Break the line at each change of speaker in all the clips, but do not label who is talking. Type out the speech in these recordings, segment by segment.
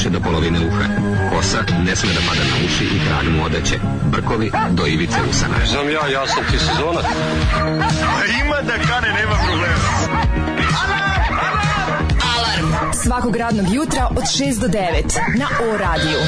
više do polovine uha. Kosa ne sme da pada na uši i trag mu odeće. Brkovi do ivice usana.
Znam ja sam ti sezona.
Ima da kane, nema problema.
Alarm svakog radnog jutra od 6 do 9 na O radiju.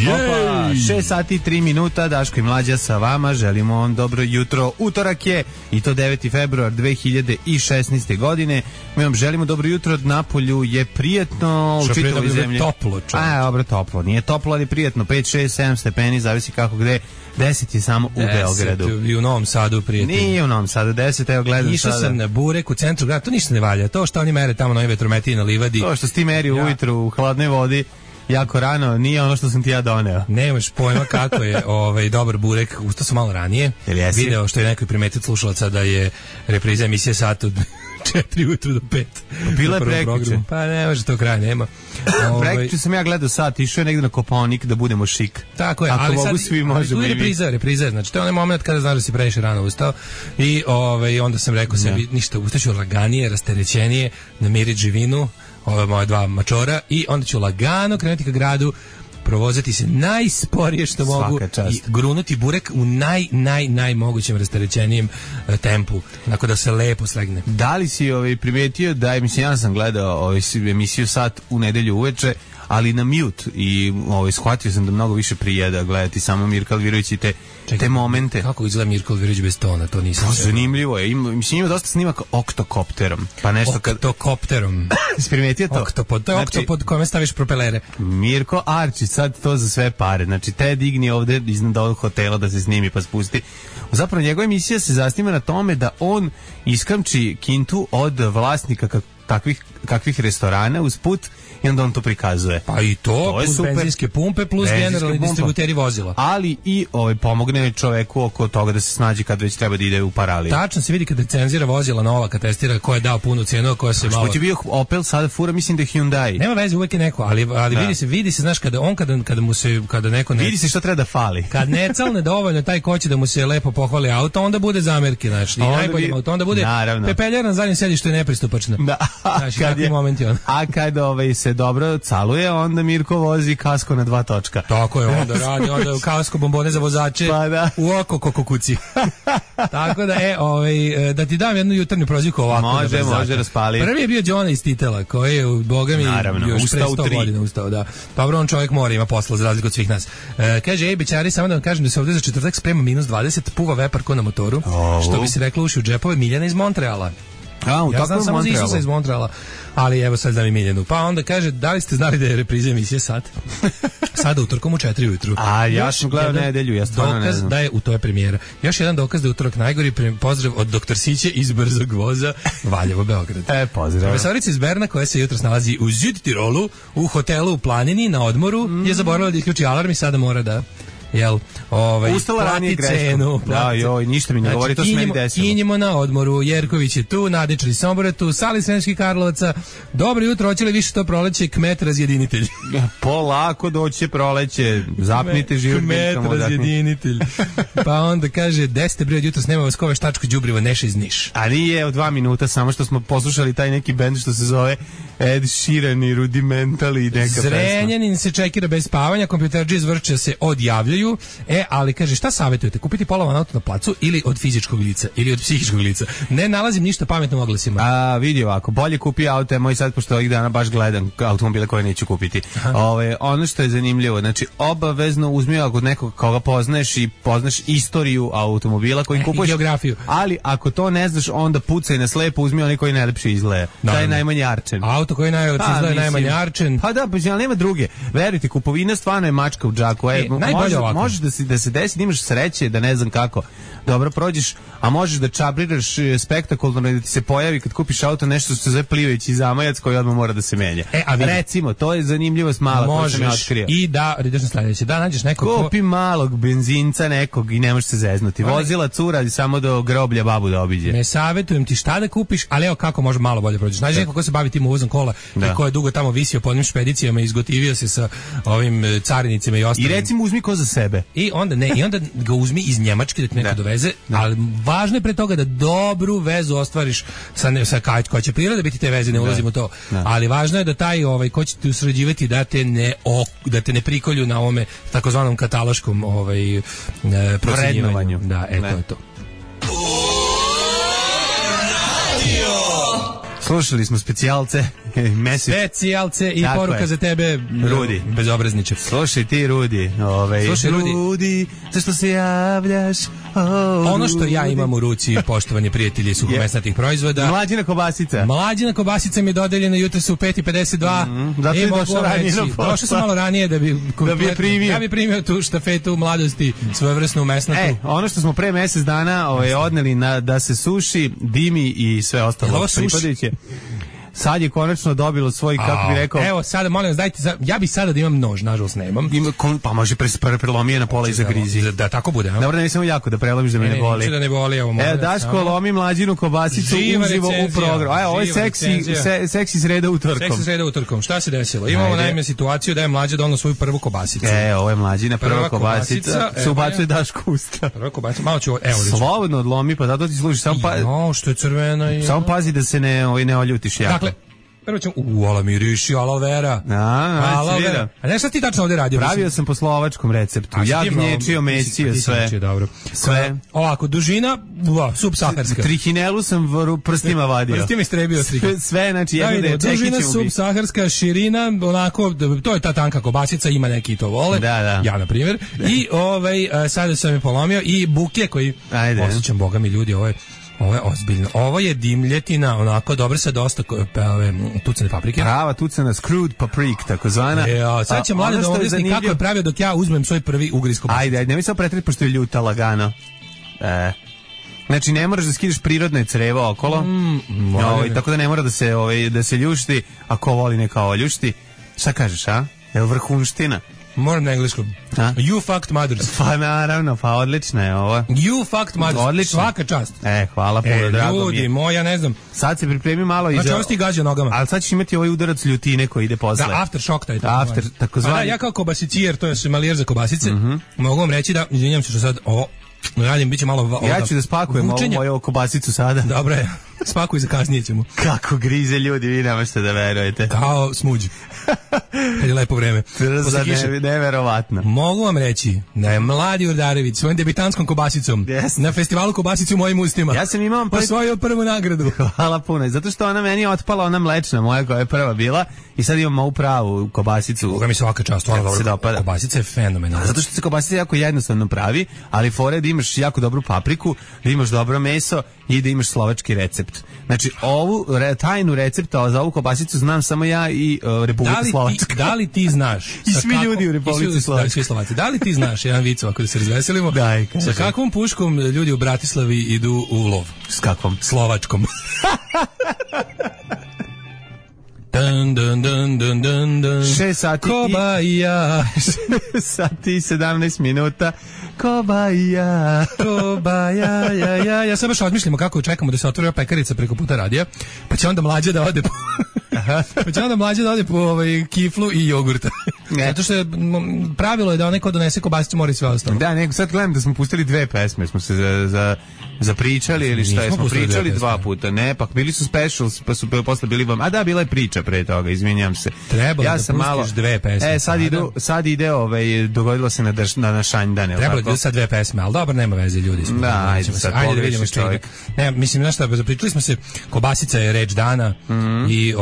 Opa, 6 sati i 3 minuta, Daško i Mlađa sa vama, želimo vam dobro jutro. Utorak je i to 9. februar 2016. godine. Mi vam želimo dobro jutro, Napolju je prijetno u čitavoj zemlji.
Toplo,
dobro, toplo. Nije toplo, ali prijetno. 5, 6, 7 stepeni, zavisi kako gde. 10 je samo u Beogradu.
I u Novom Sadu, prijatelji.
Nije u Novom Sadu, 10, evo gledam
išao sam na Burek u centru grada, to ništa ne valja. To što oni mere tamo na ovim vetrometiji na livadi.
To što si ti meri ujutru u hladnoj vodi jako rano, nije ono što sam ti ja doneo.
Nemaš pojma kako je dobar burek, ustao sam malo ranije. Video što je neko primetio slušalaca da je repriza emisije sat od 4 ujutru do 5.
Bila je prekjuče.
Pa ne može to kraj, nema.
Prekjuče sam ja gledao sat, išao je negdje na Kopaonik da budemo šik.
Tako je,
ako
ali
mogu
sad,
svi možemo i vi.
Repriza, znači to je onaj moment kada znaš da si previše rano ustao i onda sam rekao sebi, ništa, ustaću laganije, rasterećenije, namiriti živinu, ove moje dva mačora i onda ću lagano krenuti ka gradu, provozati se najsporije što mogu i grunuti burek u najmogućem rasterećenijem tempu, tako da se lepo slegne.
Da li si primetio da, mislim, ja sam gledao emisiju Sat u nedelju uveče, ali na mute i shvatio sam da mnogo više prijeda gledati samo Mirka Alvirović i te momente.
Kako izgleda Mirko Alvirović bez tona, to nisam.
To zanimljivo je. Mislim, ima dosta snimaka oktokopterom. Pa nešto
oktokopterom.
Si primetio to?
Oktopod, to je oktopod kome staviš propelere.
Mirko Arčić, sad to za sve pare. Znači, te digni ovde iznad ovog hotela da se snimi pa spusti. Zapravo, njegova emisija se zasniva na tome da on iskamči kintu od vlasnika kakvih restorana uz put i onda on to prikazuje.
Pa i to plus super. Benzinske pumpe plus generalni distributeri vozila.
Ali i pomogne čoveku oko toga da se snađe kad već treba da ide u paraliju.
Tačno se vidi kada recenzira vozila nova, kad testira ko je dao punu cenu, a ko se malo.
Što je bio Opel, sada fura, mislim da je Hyundai.
Nema veze, uvek je neko, ali vidi se, znaš, kada neko ne.
Vidi se što treba da fali.
Kad ne calne dovoljno taj ko će da mu se lepo pohvali auto, onda bude zamerke, znači, i najbolji auto, onda bude pepeljar na zadnjem sedištu je nepristupačna.
Da. A kad se dobro caluje, onda Mirko vozi kasko na 2 točka.
Tako je, onda radi, onda kasko bombone za vozače u oko kokokuci. Tako da, da ti dam jednu jutarnju prozivku ovako.
Može raspali.
Prvi je bio Đona iz Titela, koji je, boga mi, još pre 100 godina ustao, da. Dobro, on čovjek mora, ima posla za razliku od svih nas. Kaže, bećari, samo da vam kažem da se ovdje za četvrtak sprema -20, puva vepar ko na motoru, što bi se reklo uši u džepove, Miljana iz Montreala. Ja znam samo za Isusa iz Montreala, ali evo sad znam i Miljanu. Pa onda kaže, da li ste znali da je repriza emisije Sat? Sada utorkom u 4 ujutru.
A ja sam gledao nedelju, ja stvarno ne znam.
Da je, to je premijera. Još jedan dokaz da je utorak najgori, pozdrav od doktor Siće iz Brzog voza, Valjevo, Beograd.
Pozdrav.
Profesorica iz Berna, koja se jutros nalazi u Südtirolu, u hotelu u Planini, na odmoru, je zaboravila da isključi alarm i sada mora da...
ustala ranije greškom. Da, joj, ništa mi ne govori, to se meni desilo.
Kinjimo na odmoru, Jerković je tu, Nadičar iz Sombora je tu, Sali Sremskih Karlovaca. Dobro jutro, hoće li više to proleće, kmet razjedinitelj?
Polako doće proleće, zapnite život.
Kmet razjedinitelj. Pa onda kaže, 10. bre od jutros, nema vas kove štačko đubrivo, Neša iz Niš.
A nije od 2 minuta, samo što smo poslušali taj neki bend što se zove Ed Sheeran i Rudimental i neka pesma.
Zrenjanin se čekira bez spavanja, kompjuterđi iz Vršća se odjavljaju. Ali kaže, šta savjetujete? Kupiti polovan auto na placu ili od fizičkog lica ili od psihičkog lica? Ne nalazim ništa pametno u oglasima.
Vidi ovako, bolje kupi auto, moj sad, pošto ovih dana baš gledam automobile koje neću kupiti. Ono što je zanimljivo, znači obavezno uzmi kod nekog koga poznaješ i poznaš istoriju automobila koji kupuješ.
Geografiju.
Ali ako to ne znaš, onda pucaj na slepo, uzmi onaj koji najlepše izgleda. Taj je najmanje arčen.
Auto koji najlepše izgleda je najmanje arčen.
Pa da, ali nema druge. Verujte, kupovina stvarno je mačka u džaku.
Najbolje ovako.
Možeš da se desi da imaš sreće, da ne znam kako, dobro prođeš, a možeš da čabriraš spektakularno i da ti se pojavi kad kupiš auto nešto što se zove plivajući zamajac koji odmah mora da se menja. Recimo, to je zanimljivost mala koju sam ja otkrio.
I da, ideš na sledeće, da nađeš nekog
kupi malog benzinca nekog i ne možeš se zeznuti. Vozila cura samo do groblja babu da obiđe.
Ne savjetujem ti šta da kupiš, ali evo kako može malo bolje prođeš. Nađi neko ko se bavi tim uvozom kola i ko je dugo tamo visio po onim špedicijama i izgotivio se sa ovim carinicima i ostalim.
I recimo uzmi ko za sebe.
I onda ga uzmi iz Njemačke da te neko doveze, ali važno je pre toga da dobru vezu ostvariš sa koja će priroda biti te veze, ne ulazimo u to. Ali važno je da taj ko će te usređivati da te ne prikolju na ovome takozvanom kataloškom procenjivanju. Da, to je to.
Slušali smo specijalce
i tako poruka za tebe,
Rudi,
bezobrazniče.
Slušaj ti, Rudi.
Slušaj,
Rudi, zašto se javljaš?
Ono što ja imam u ruci, poštovani prijatelji suhomesnatih proizvoda.
Mlađina kobasica.
Mlađina kobasica mi je dodeljena jutros u 5:52.
Zato je došao ranije na posao.
Došao sam malo ranije da bi primio tu štafetu mladosti, svojevrsnu mesnatu.
Ono što smo pre mesec dana odneli da se suši, dimi i sve ostalo pripadajuće. Sad je konačno dobilo svoj, kako bi rekao...
Evo, sada, molim vas, dajte... Ja bih sada da imam nož, nažalost nemam.
Pa može prelomije na pola i zagrizi.
Da tako bude, a?
Dobro, ne samo jako da prelomiš da me ne boli.
Neću da ne boli, evo molim.
Evo, Daško lomi Mlađinu kobasicu uživo u programu. Ovo je seksi sreda utorkom.
Seksi sreda utorkom. Šta se desilo? Imamo naime situaciju da je Mlađa donao svoju prvu kobasicu.
Ovo je Mlađina prva kobasica. Se ubacuje Daško usta.
Prva kobasica. Malo ću...
Slobodno odlomi, pa zato ti služiš.
Što je crvena i...
Samo pazi da se ne oljutiš jako.
Dakle, prvo ćemo, ala miriši, aloe vera. Aloe vera. A ne šta ti tačno ovdje radio?
Pravio sam po slovačkom receptu. Jagnječio, mesio, sve. Sve.
Ovako, dužina, subsaharska.
Trihinelu sam prstima vadio.
Prstima istrebio trihinelu.
Sve, znači, jedno da je čekićem
dužina, subsaharska, širina, onako, to je ta tanka kobasica, ima neki to vole.
Da.
Ja, na primjer. I sada sam je polomio i buke koji, osjećam, boga mi ljudi, ovo je ozbiljno. Ovo je dimljetina, onako dobro sa dosta tucane paprike.
Prava tucana screwed paprik, takozvana.
Sad će mlade da objasni kako je pravio dok ja uzmem svoj prvi ugriz kobasice.
Ajde, nemoj samo pretreti pošto je ljuta lagano. Znači ne moraš da skidaš prirodne crevo okolo. Tako da ne mora da se ljušti, ako voli neka oljušti. Šta kažeš, a? Je li vrhunština?
Moram na engleskom. You fucked mothers.
Pa naravno, pa odlična je ova.
You fucked mothers.
Odlično.
Svaka čast.
Hvala puno, drago mi je.
Ljudi moja, ne znam.
Sad se pripremi malo i
znači, ovo ti gađa nogama.
Ali sad ćeš imati ovaj udarac ljutine koji ide posle.
Da, aftershock taj.
Takozvani.
Ja kao kobasicijer, to je somalijer za kobasice, mogu vam reći da, izvinjam se što sad ovo radim, bit će malo...
Ja ću da spakujem moju kobasicu sada.
Dobro je, spakuj za kasnije ćemo.
Kako grize ljudi, vi ne možete da verujete.
Kao smuđ. Kad je lepo vreme.
Neverovatno.
Mogu vam reći da je mladi Urdarević svojim debitanskom kobasicom na festivalu kobasicu u mojim ustima.
Ja sam imao
osvojio prvu nagradu.
Hvala puno. Zato što ona meni je otpala, ona mlečna moja koja je prva bila i sad imam ovu pravu kobasicu.
Boga mi svaka čast, kobasica je fenomenalna.
Zato što se kobasica jako jednostavno pravi, ali fore da imaš jako dobru papriku, da imaš dobro meso i da imaš slovački recept. Znači, ovu tajnu recepta za ovu kobasicu znam samo ja i Republika Slovačka.
Da li ti znaš?
I svi ljudi u Republici Slovačkoj.
Da li ti znaš, jedan vic ovako da se razveselimo, sa kakvom puškom ljudi u Bratislavi idu u lov?
S kakvom?
Slovačkom. Dun, dun, dun, dun, dun, dun.
6 sati
Kobaja.
6 sati 17 minuta. Kobaja.
Kobaja, ja sad baš odmišljamo kako čekamo da se otvori pekarica preko puta radija, pa će onda mlađa da ode po kiflu i jogurta. Zato što je pravilo je da onaj ko donese kobasicu mora i sve ostalo.
Da, nego sad gledam da smo pustili 2 pesme, smo se zapričali ili šta, smo pričali 2 puta. Ne, pa bili su specials, pa su posle bili vam. A da, bila je priča pre toga, izvinjam se.
Trebalo ja da pustiš malo, 2 pesme.
Sad ide, dogodilo se na šanjdane.
Trebalo da sad 2 pesme, al dobro, nema veze, ljudi.
Da, ajde
da vidimo što ide. Ne, mislim znaš šta, zapričali smo se, kobasica je reč dana i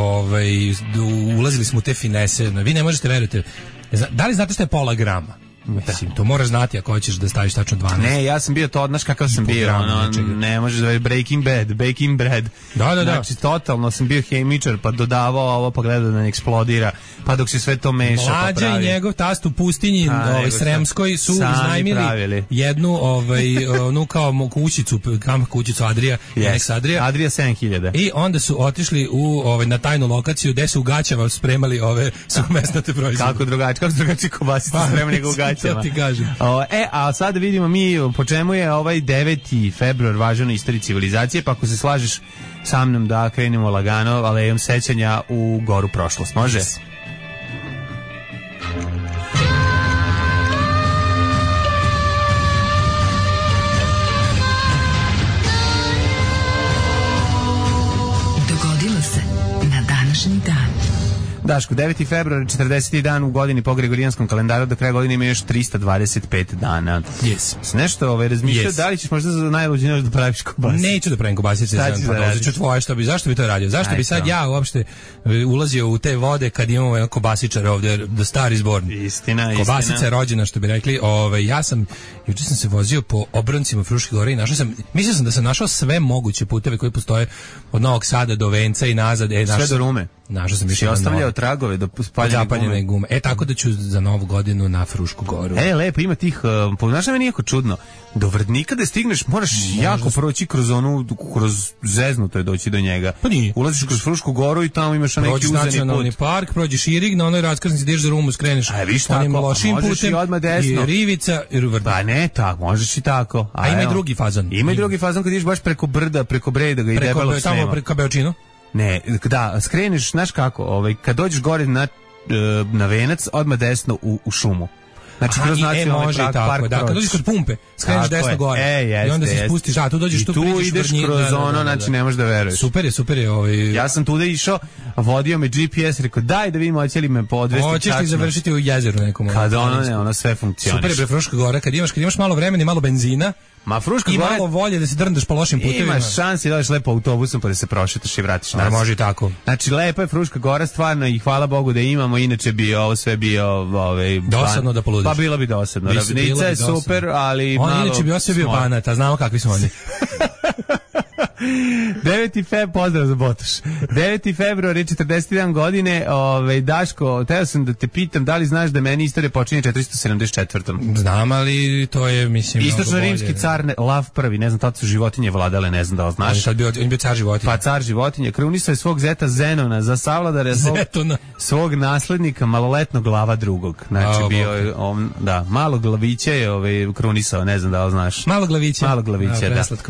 ulazili smo u te finese. Vi ne možete verujete. Da li znate šta je pola grama? Mislim, to moraš znati ako hoćeš da staviš tačno 12.
Ne, ja sam bio to, znaš kakav sam bio, ne možeš da Breaking Bad.
Da.
Znači, totalno sam bio hemičar, pa dodavao ovo, pa gledao da ne eksplodira, pa dok se sve to meša, pa pravi.
Mlađa i njegov tast u pustinji, Sremskoj, su iznajmili jednu, onu kao kućicu Adrija,
Adrija 7000.
I onda su otišli na tajnu lokaciju gde su u gaćama spremali ove suhomesnate proizvode.
Kako drugačije kobasice spremali nego u gaćama.
Ja ti kažem.
A sad vidimo mi po čemu je ovaj 9. februar važan u istoriji civilizacije, pa ako se slažeš sa mnom da krenemo lagano alejom sećanja u goru prošlost. Može? Yes.
Dogodilo se na današnji dan.
Daško, 9. februar, 40. dan u godini po Gregorijanskom kalendaru, do kraja godine ima još 325 dana.
Yes.
Nešto razmišljao, da li ćeš možda za najluđi noć da praviš kobasice?
Neću da pravim kobasice, ću tvoje, zašto bi to radio? Zašto bi sad ja uopšte ulazio u te vode kad imamo jedan kobasičar ovdje, do stari zborni?
Istina.
Kobasica je rođena, što bi rekli. Juče sam se vozio po obroncima Fruške gore i mislio sam da sam našao sve moguće puteve koji postoje od Novog Sada do Venca i nazad.
Sve do Rume.
Našao sam više
ostavljao tragove do spaljene
gume. Tako da ću za Novu godinu na Frušku goru.
Lepo, ima tih, znaš da meni jako čudno, do Vrdnika da stigneš moraš jako proći kroz Zeznuto je doći do njega.
Pa nije.
Ulaziš kroz Frušku goru i tamo imaš neki uzeni put.
Prođeš nacionalni park, prođeš Irig, na onoj raskrsnici ideš za Rumu, skreneš onim lošim putem i Rivica i Vrdnik.
Pa ne, tako, možeš i tako.
A ima i drugi fazon.
Ima i drugi fazon kad ideš baš preko brda, preko Breda ga i debelog snema.
Tamo preko Beočinu?
Ne, da, skreneš, znaš kako, kad dođeš gore na Venac, odmah desno u šumu. Znači, kroz nacionalni park.
Da, kad dođeš kod pumpe, skreneš desno gore. I onda se spustiš, tu dođeš, tu priđeš
ideš kroz ono, znači ne možeš da veruješ.
Super je.
Ja sam tuda išao, vodio me GPS, rekao, daj da vidimo, hoće li me podvesti.
Hoćeš li završiti u jezeru nekom?
Kad ono sve funkcioniš.
Super je Fruška gora, kad imaš malo vremena i malo benzina,
Fruška
i
gore,
malo volje da se drndaš po lošim putevima.
Imaš šansi da dođeš lepo autobusom pa da se prošetaš i vratiš nazad.
Može i tako.
Znači, lepa je Fruška gora, stvarno, i hvala Bogu da imamo, inače bi ovo sve bio...
dosadno da poludiš.
Pa bilo bi dosadno. Ravnica je super, ali malo...
Inače bi ovo sve bio Banat, a znamo kakvi su oni.
9. februar, pozdrav za Botoš. 9. februar je 41 godine. Daško, teo sam da te pitam da li znaš da meni istorija počinje 474.
Znam, ali to je, mislim,
istočno-rimski car Lav I, ne znam, tada su životinje vladale, ne znam da li znaš.
On je bio car životinje.
Pa car životinje. Krunisao je svog zeta Zenona za savladare svog naslednika, maloletnog Lava II. Znači, malo glavića je krunisao, ne znam da li znaš.
Malo glavića,
da.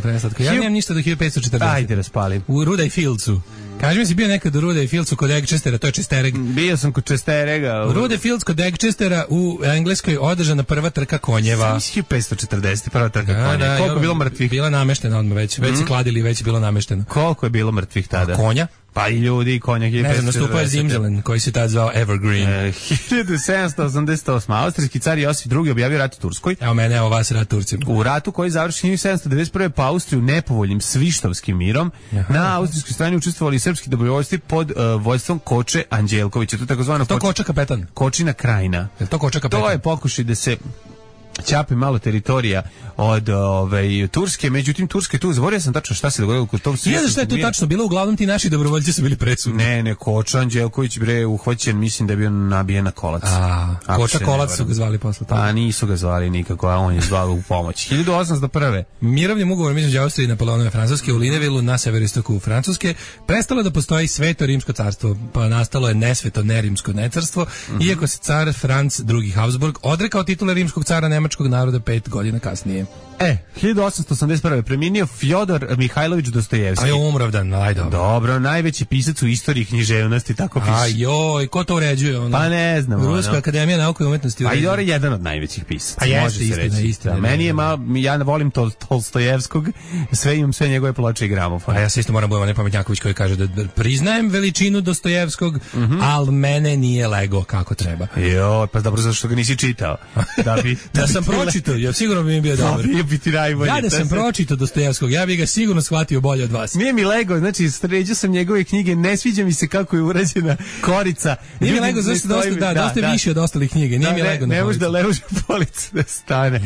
Preslatko. Ja nemam ništa do 1540.
Ajde, raspalim.
U Rudaj Fieldsu. Kaži mi si bio nekad u Rudaj Fieldsu kod Egchestera, to je Chestereg.
Bio sam kod Chesterega.
U Rudaj Fields kod Egchestera u Engleskoj održana prva trka konjeva.
1540, prva trka konjeva. Koliko je bilo mrtvih?
Bila nameštena odmah već se kladili, već je bilo namešteno.
Koliko je bilo mrtvih tada?
Konja?
Pa i ljudi, i konja.
Ne znam, nastupao je Zimzelen, koji se tad zvao Evergreen.
1788. Austrijski car Josip II. Objavio rat Turskoj.
Evo vas rat Turcima.
U ratu koji završi 1791. pa Austriju nepovoljnim Svištovskim mirom. Na austrijskoj strani učestvovali srpski dobrovoljci pod vođstvom Koče Anđelkovića. To je takozvano
Koča kapetan.
Kočina krajina.
Je to Koča kapetan?
To je pokušaj da se ćapi malo teritorija od Turske, međutim Turske tu, zaboravio sam tačno šta se dogodilo kod tog.
Ne znam šta je tu tačno bilo, uglavnom ti naši dobrovoljci su bili presudni.
Ne, Koča Anđelković uhvaćen, mislim da je bio nabijen na kolac.
Koča Kolac su ga zvali posle toga.
Pa nisu ga zvali nikako, a on je zvao u pomoć. 1801.
Mirovnim ugovorom između Austrije i Napoleonove Francuske u Linevilu na severistoku Francuske prestalo da postoji Sveto rimsko carstvo, pa nastalo je nesveto nerimsko necarstvo, iako se car Franc II. Habsburg odrekao titule rimskog cara nemačkog naroda 5 godina kasnije.
1881. preminio Fjodor Mihajlović Dostojevski.
Aj, umravdan, ajde.
Dobro, najveći pisac u istoriji književnosti, tako piše.
Ajoj, ko to uređuje? Ono?
Pa ne znam.
Ruska akademija nauke i umetnosti uređuje.
Ajde, jedan od najvećih pisaca.
A jeste, istina.
Meni je ja volim Tolstojevskog, imam sve njegove ploče i gramofon.
A ja se isto moram budem Pametnjaković koji kaže da priznajem veličinu Dostojevskog, ali mene nije lego kako treba.
Pa dobro, zašto ga nisi čitao?
Da sam pročitao, ja sigurno bi mi bio dobar.
biti najbolje.
Ja da sam pročitao Dostojevskog, ja bih ga sigurno shvatio bolje od vas.
Nije mi lego, znači sređao sam njegove knjige, ne sviđa mi se kako je urađena korica.
Nije mi lego, zašto dosta više od ostalih knjiga. Nije mi lego na
ne može da leži polica da stane.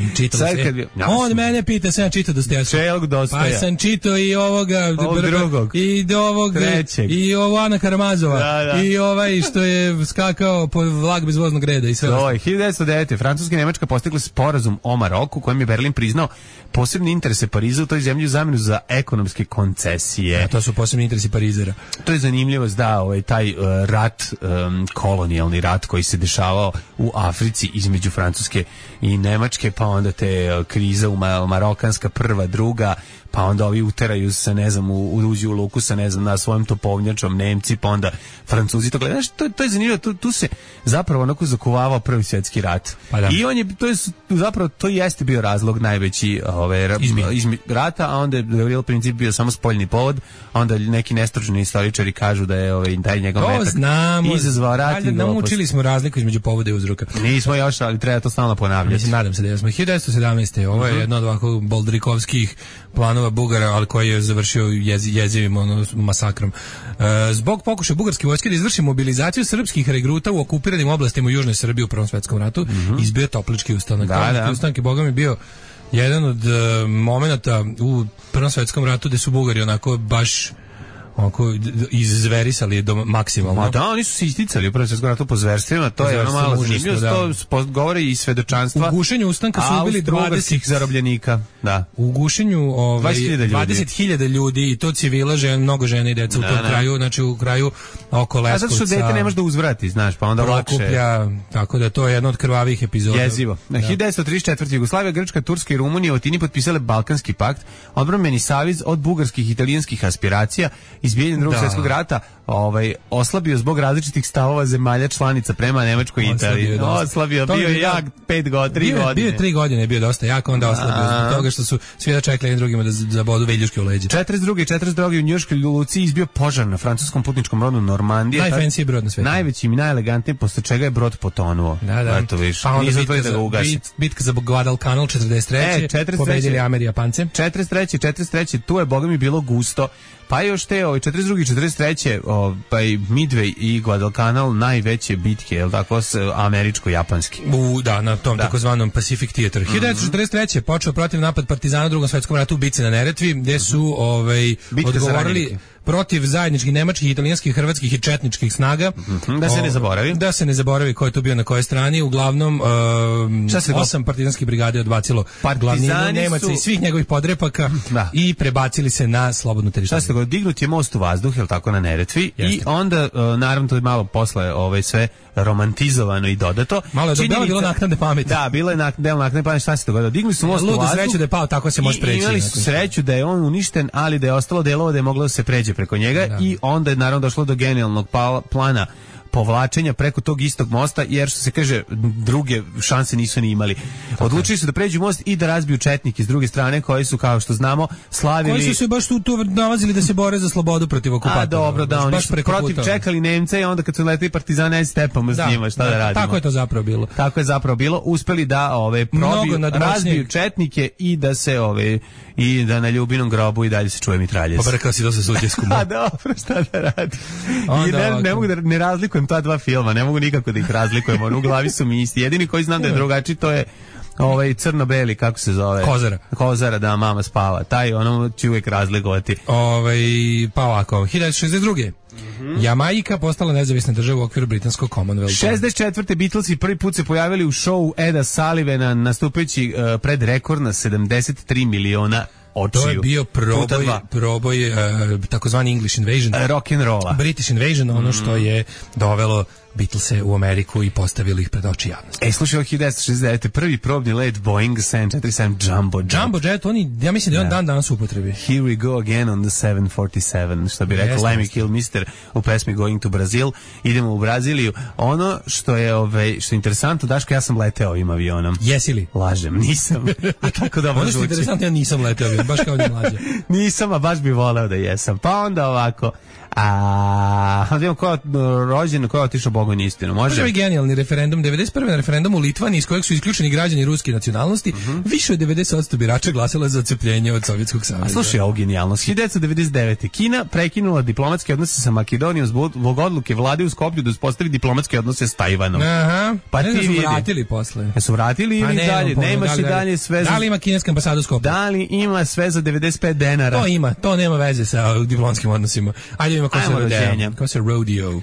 On mene pita, sam čitao Dostojevskog. Pa sam čitao i ovoga
drugog.
I ovog trećeg. I ovo Ana Karamazova. I ovaj što je skakao po vlak bez voznog reda i sve.
1909. Francuska i Nemačka postigli sporazum o Maroku kojem je Berlin priznao posebni interese Pariza u toj zemlji u zamenu za ekonomske koncesije.
A to su posebni interesi Parizera.
To je zanimljivost, da, taj rat, kolonijalni rat koji se dešavao u Africi između Francuske i Nemačke, pa onda te kriza marokanska prva, druga, pa onda ovi uteraju se, ne znam, uđu u luku sa, ne znam, na svojim topovnjačom Nemci, pa onda Francuzi. To gleda, to je zanimljivo, tu se zapravo onako zakuvavao Prvi svjetski rat.
Pa da.
I on je, to jeste bio razlog najveći rata, a onda je Gavrilo Princip bio samo spoljni povod, a onda neki nestručni istoričari kažu da je taj njegov metak izazvao rat.
Naučili smo razliku između povoda i uzroka.
Nismo još, ali treba to stalno ponavljati.
Mislim, nadam se da smo. 1917. Ovo je jedno od ovako boldrikovskih planova Bugara, ali koji je završio jezivim masakrom. Zbog pokušaja bugarske vojske da izvrši mobilizaciju srpskih regruta u okupiranim oblastima u Južnoj Srbiji u Prvom svetskom ratu, izbio Toplički ustanak. Toplički ustanak je, boga mi, bio jedan od momenata u Prvom svetskom ratu gde su Bugari onako baš izverisali do maksimalno.
Ma da, oni su se isticali u Prvom svetskom ratu po zverstvima, to je ono malo zanimljivo, to govori i svedočanstva.
U gušenju ustanka su ubili 20
zarobljenika. Da.
U gušenju 20.000 ljudi i to civila, mnogo žena i deca u tom kraju, znači u kraju oko Leskovca.
A zato što dete ne može da uzvrati, znaš, pa onda lakše.
Tako da to je jedna od krvavih epizoda.
Jezivo. Na 1934. Jugoslavija, Grčka, Turska i Rumunija u Atini potpisale Balkanski pakt, odbrambeni savez od bugarskih i italijanskih aspiracija. Izbijenje Drugog svjetskog rata oslabio zbog različitih stavova zemalja članica prema Nemačkoj i Italiji. Oslabio, bio je jak 3 godine.
Bio je 3 godine, je bio dosta jak, onda oslabio zbog toga što su svi da čekali jednim drugima da zabodu veljuške u leđe.
42. u Njujorškoj luci izbio požar na francuskom putničkom brodu Normandija.
Najfancy brod na svijetu.
Najvećim i najelegantnijim, posle čega je brod potonuo.
Da.
Eto viš.
Pa onda bitka za Guadalcanal 43. Pobedili Ameri Japance.
43. Tu je, boga mi, bilo gusto. Pa još te 42. i 43. Midway i Guadalcanal najveće bitke, je li tako, američko-japanski.
Da, na tom takozvanom Pacific Theater. 1943. počeo protiv napad partizana u Drugom svjetskom ratu u bitci na Neretvi, gde su odgovorili protiv zajedničkih nemačkih, italijanskih, hrvatskih i četničkih snaga.
Da se ne zaboravi.
Da se ne zaboravi ko je to bio na kojoj strani. Uglavnom 8 partizanskih brigade odbacilo glavninu Nemaca i svih njegovih podrepaka i prebacili se na slobodnu teritoriju.
Šta se go, dignut je most u vazduh, je li tako, na Neretvi. Jeste. I onda, naravno, to je malo posle sve romantizovano i dodato.
Malo je bilo naknadne pameti.
Da, bilo je del naknadne pameti. Šta se dogodilo? Digli su most u vazduh.
Sreću da je pao, tako se može preći.
Imali su sreću da je on uništen, ali da je ostalo delova da je moglo da se pređe preko njega i onda je naravno došlo do genijalnog plana povlačenja preko tog istog mosta, jer što se kaže, druge šanse nisu ni imali. Odlučili su da pređu most i da razbiju četnike s druge strane, koji su, kao što znamo, slavili...
Koji su se baš tu nalazili da se bore za slobodu protiv okupatora.
A dobro, da, oni su protiv čekali Nemca i onda kad su letili partizane, stepamo s njima, šta da radimo.
Tako je to zapravo bilo.
Tako je zapravo bilo. Uspeli da probiju, razbiju četnike i da se i da na Ljubinom grobu i dalje se čuje mitraljez.
Pa rekao si da se suđesku.
A dobro, šta da radi? I ne mogu da ne razlikujem ta dva filma, ne mogu nikako da ih razlikujem, u glavi su mi isti. Jedini koji znam da je drugačiji, to je crno-beli, kako se zove? Kozara, da, mama spava. Taj, ono ću uvijek razlikovati.
Pa ovako, 1962. Jamajka postala nezavisna država u okviru britanskog Commonwealtha.
64. Beatlesi prvi put se pojavili u šovu Eda Sullivana, nastupajući pred rekord na 73 miliona očiju.
To je bio proboj takozvani English Invasion.
Rock'n'rolla.
British Invasion, ono što je dovelo Beatlese u Ameriku i postavili ih pred oči javnosti.
Slušaj, 1969. prvi probni let Boeing 747 Jumbo Jet.
Jumbo Jet, ja mislim da je on dan danas u upotrebi.
Here we go again on the 747, što bi rekao Lemmy Kilmister u pesmi Going to Brazil. Idemo u Braziliju. Ono što je interesantno, Daško, ja sam leteo ovim avionom.
Jesi li?
Lažem, nisam. A tako dobro
zvuči. Ono što je interesantno, ja nisam leteo avionom, baš kao ni mlađe.
Nisam, a baš bi voleo da jesam. Pa onda ovako, vidimo ko je rođen, ko je otišao pogon istinu. Može?
Može genijalni referendum. 91. na referendumu u Litvaniji iz kojeg su isključeni građani ruske nacionalnosti, više od 90% birača glasalo za odcepljenje od Sovjetskog saveza.
A slušaj, ovo genijalnost. 1999. Kina prekinula diplomatske odnose sa Makedonijom zbog odluke vlade u Skoplju da uspostavi diplomatske odnose s Tajvanom.
Aha.
Pa ti
su vratili posle.
Su vratili ili dalje? Nemaš i dalje sve za...
Da li ima kineska ambasada u Skoplju?
Da li ima sve za 95 denara?
To ima, to nema veze sa diplomatskim odnosima. Ajde ima ko se rodeo.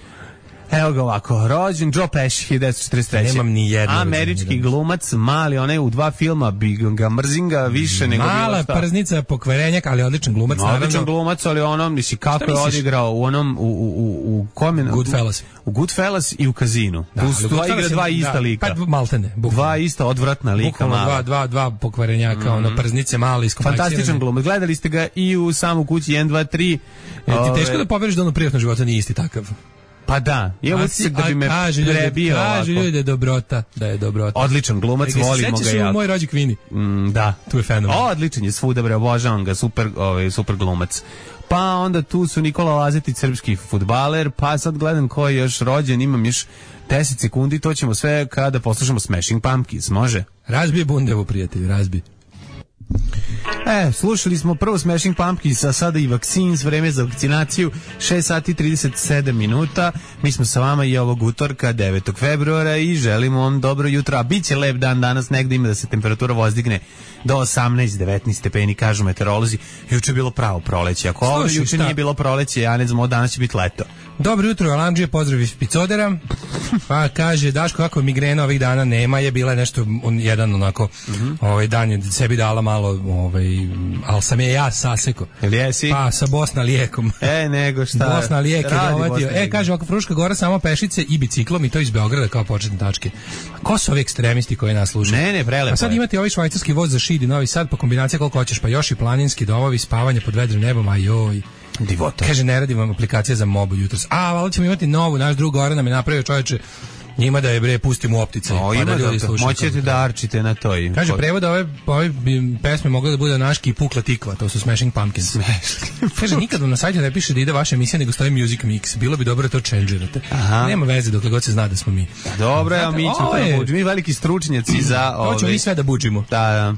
Evo ga ovako, rođen Joe Pesci 1943.
Nemam ni jedno.
Američki glumac, mali, onaj u 2 filma, bi ga mrzim više nego bilo šta.
Mala prznica, pokvarenjak, ali odličan glumac, naravno.
Odličan glumac, ali ono, misli, kako je odigrao u onom, u kome?
Goodfellas.
U Goodfellas i u Kazinu.
Da,
igra dva ista lika.
Pa maltene.
Dva ista odvratna lika.
Dva pokvarenjaka, ono, prznice, mali, iskompleksirane.
Fantastičan glumac. Gledali ste ga i u Samu kući 1, 2, 3.
Ti teško da poveriš da ono privatno života nije isti takav.
Pa da, je utisak da bi me prebio ovako.
Kaže ljudi da je dobrota.
Odličan glumac, volimo ga jako.
Moj rođak Vini.
Da.
Tu je fenomen.
Odličan je svuda, bre, obožavam ga, super glumac. Pa onda tu su Nikola Lazetić, srpski fudbaler, pa sad gledam ko je još rođen, imam još 10 sekundi, to ćemo sve kada poslušamo Smashing Pumpkins, može?
Razbije bundevu, prijatelju, razbije.
Slušali smo prvo Smashing Pumpkins, a sada i Vaccines, vreme za vakcinaciju, 6 sati 37 minuta. Mi smo sa vama i ovog utorka, 9. februara i želimo vam dobro jutro. A bit će lep dan danas, negde ima da se temperatura vozdigne do 18-19 stepeni, kažu meteorolozi. Juče je bilo pravo proleće. Ako ovo juče nije bilo proleće, ja ne znam, danas će biti leto.
Dobro jutro, Alamdžije, pozdrav iz Picodera. Pa kaže, Daško, kako migrena ovih dana nema, je bila nešto, jedan onako, dan je sebi dala malo, ali sam je ja saseko.
Jel jesi?
Pa, sa Bosna lijekom.
Nego šta?
Bosna lijek je dovatio. Kaže, oko Fruška Gora samo pešice i biciklom i to iz Beograda kao početne tačke. Ko su ovi ekstremisti koji nas slušaju?
Ne, prelepo.
A sad imate ovaj švajcarski voz za Šid i Novi Sad, pa kombinacija koliko hoćeš, pa još i planinski domovi, spavanje pod vedrim nebom, ajoj.
Divota.
Kaže, ne radi vam aplikacija za mobu jutros. Ali ćemo imati novu, naš drug Goran nam je napravio, čovječe, njima da je bre pustimo u optice.
Pa da ljudi slušaju. Moćete da arčite na to.
Kaže, prevod ove pesme mogla da bude Naški i Pukla tikva, to su Smashing Pumpkins. Kaže, nikad vam na sajtu ne piše da ide vaša emisija, nego stoji Music Mix. Bilo bi dobro da to changerate. Nema veze dokle god se zna da smo mi.
Dobro, a mi ćemo to buđi. Mi veliki stručnjaci za
ove. To ćemo mi sve da buđimo.
Da.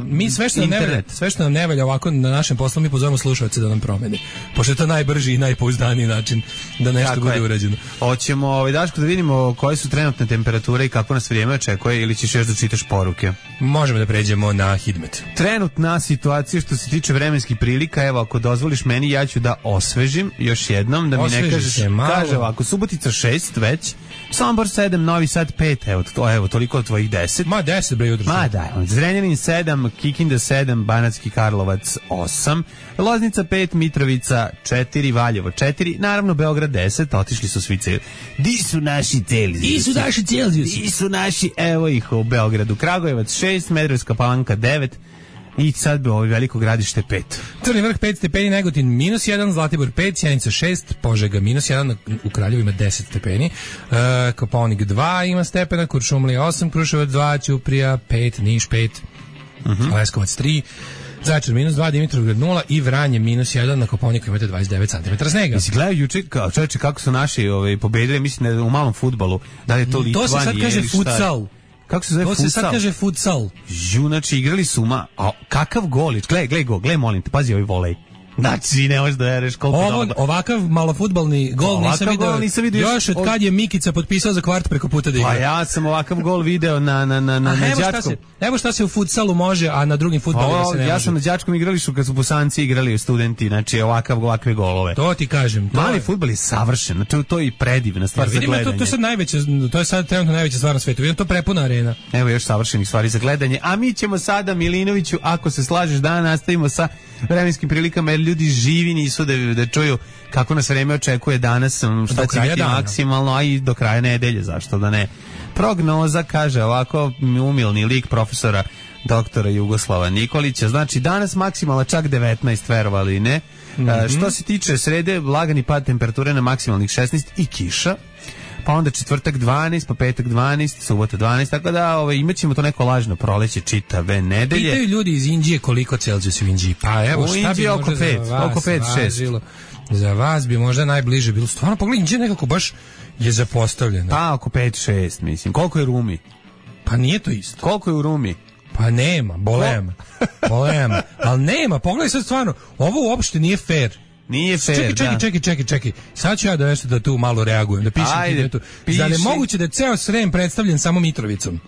Mi sve što nam ne valja ovako na našem poslu, mi pozovemo slušalce da nam promeni. Pošto je to najbrži i najpouzdaniji način da nešto bude urađeno.
Hoćemo, Daško, da vidimo koje su trenutne temperature i kako nas vrijeme očekuje, ili ćeš još da čitaš poruke?
Možemo da pređemo na Hidmet.
Trenutna situacija što se tiče vremenskih prilika, evo, ako dozvoliš meni, ja ću da osvežim još jednom, da mi ne kažeš, kaže ovako, Subotica 6 već, Sombor 7, Novi Sad 5, evo, toliko od tvojih 10.
Ma 10, bre, jutro.
Ma da, Zrenjanin 7, Kikinda 7, Banatski Karlovac 8, Loznica 5, Mitrovica 4, Valjevo 4, naravno Beograd 10, otišli su svi celi. Di su naši Celzijusi? Di su naši, evo ih u Beogradu. Kragujevac 6, Smederevska Palanka 9, i sad bi ovo veliko gradište 5.
Crni vrh 5 stepeni, Negotin -1, Zlatibor 5, Sjenica 6, Požega -1, u Kraljevu ima 10 stepeni, Kopaonik 2 ima stepena, Kuršumlija 8, Kruševac 2, Ćuprija 5, Niš 5, Leskovac 3, Zaječar -2, Dimitrovgrad 0 i Vranje -1, na Kopaoniku imate 29 cm snega.
Jesi gledao juče, čovječe, kako su naši pobedili, mislim da u malom fudbalu, da li je to Litvanije?
To se sad kaže futsal.
Kako se zove futsal?
To se sad kaže futsal.
Znači, igrali su kakav golić, gle, molim te, pazi ovaj volej. Znači, ne možeš da veruješ koliko
ovakav malofudbalni gol nisam vidio još od kad je Mikica potpisao za kvart preko puta da igra.
Pa ja sam ovakav gol video na đačkom.
Evo šta se u futsalu može, a na drugim fudbalima se ne može.
Ja sam na đačkom igralištu kad su Bosanci igrali studenti, znači ovakve golove.
To ti kažem.
Mali fudbal je savršen, znači to je i predivna stvar za gledanje.
To je sad trenutno najveća stvar na svetu. Vidim, to prepuna arena.
Evo još savršenih stvari za gledanje. A mi ćemo sada, Milinoviću, ako se slažeš, da nastavimo sa vremenskim prilikama, jer ljudi živi nisu da čuju kako nas vreme očekuje danas, šta će biti maksimalno, a i do kraja nedelje, zašto da ne. Prognoza kaže ovako, umilni lik profesora doktora Jugoslava Nikolića, znači danas maksimalno čak 19, verovali ne. Što se tiče srede, lagani pad temperature na maksimalnih 16 i kiša. pa onda četvrtak 12, pa petak 12, subota 12, tako da imaćemo to neko lažno proleće čitave nedelje.
Pitaju ljudi iz Indije koliko Celzijus u Indiji. Pa evo, šta bi
oko 5-6.
Za vas bi možda najbliže bilo. Stvarno, pogledaj, Indija nekako baš je zapostavljena.
Pa oko 5-6, mislim. Koliko je Rumi?
Pa nije to isto.
Koliko je u Rumi?
Pa nema, bolema. Ali nema, pogledaj sad stvarno, ovo uopšte nije fair.
Nije fair,
Čekaj. Sad ću ja da tu malo reagujem, da pišem. Da ne moguće da je ceo Srem predstavljen samo Mitrovicom.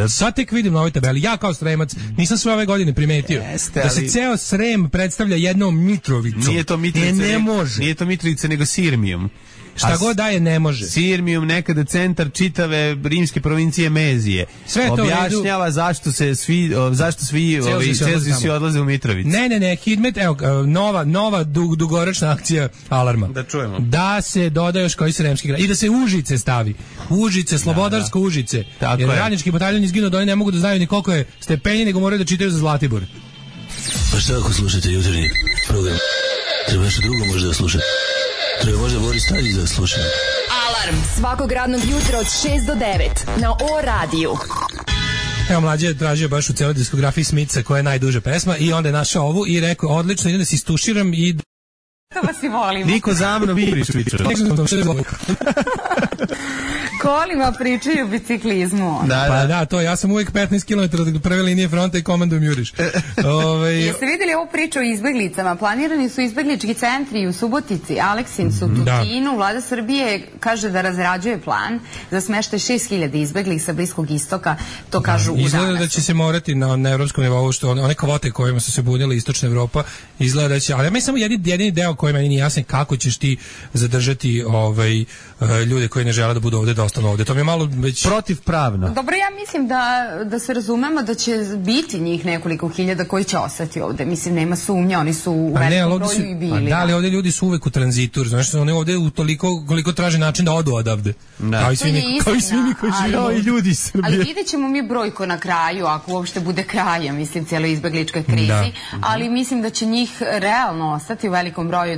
Sad tek vidim na ovoj tabeli. Ja kao Sremac nisam sve ove godine primetio da se ceo Srem predstavlja jednom Mitrovicom.
Nije to Mitrovica,
ne može.
Nije to Mitrovica, nego Sirmijum.
Šta god daje, ne može.
Sirmijum, nekada centar čitave rimske provincije Mezije.
Sve to
objašnjava zašto svi Celzijsi odlaze u Mitrovicu.
Ne, Hidmet, evo, nova dugoročna akcija Alarma.
Da čujemo.
Da se doda još koji sremski grad. I da se Užice stavi. Užice, Slobodarsko Užice.
Tako
jer radnički bataljon izginuo da oni ne mogu da znaju ni koliko je stepenje, nego moraju da čitaju za Zlatibor.
Pa šta ako slušate jutarnji program? Treba nešto drugo možda da slušate. Treba možda Boris Tadić da slušam.
Alarm svakog radnog jutra od 6 do 9 na O radiju.
Evo, Mlađe je tražio baš u celoj diskografiji Smitsa koja je najduža pesma i onda je našao ovu i rekao, odlično, idem da se istuširam i...
Da vas i volimo.
Niko za mnom viriš,
Kolima pričaju o biciklizmu.
Pa da, to, ja sam uvijek 15 km od prve linije fronta i komandujem juriš.
Jeste vidjeli ovu priču o izbeglicama? Planirani su izbeglički centri u Subotici, Aleksincu, Tutinu. Vlada Srbije kaže da razrađuje plan za smeštaj 6000 izbeglih sa Bliskog istoka, to kažu u danas.
Izgleda da će se morati na evropskom nivou, što one kvote kojima su se bunile istočna Evropa, izgleda da će, ali ja samo jedini deo koji meni nije jasan, kako ćeš ti zadržati ljude koji ne žele da budu ovde, da ostanu ovde. To mi je malo već
protivpravno.
Dobro, ja mislim da se razumemo da će biti njih nekoliko hiljada koji će ostati ovde. Mislim, nema sumnje, oni su u velikom broju i bili.
Da, ali ovde ljudi su uvek u tranzitu, znaš, oni ovde u toliko koliko traže način da odu odavde. Kao i svi mi koji žive
i ljudi iz Srbije.
Ali vidjet ćemo mi brojko na kraju, ako uopšte bude kraja, mislim, cijeloj izbegličkoj krizi, ali mislim da će njih realno ostati u velikom broju.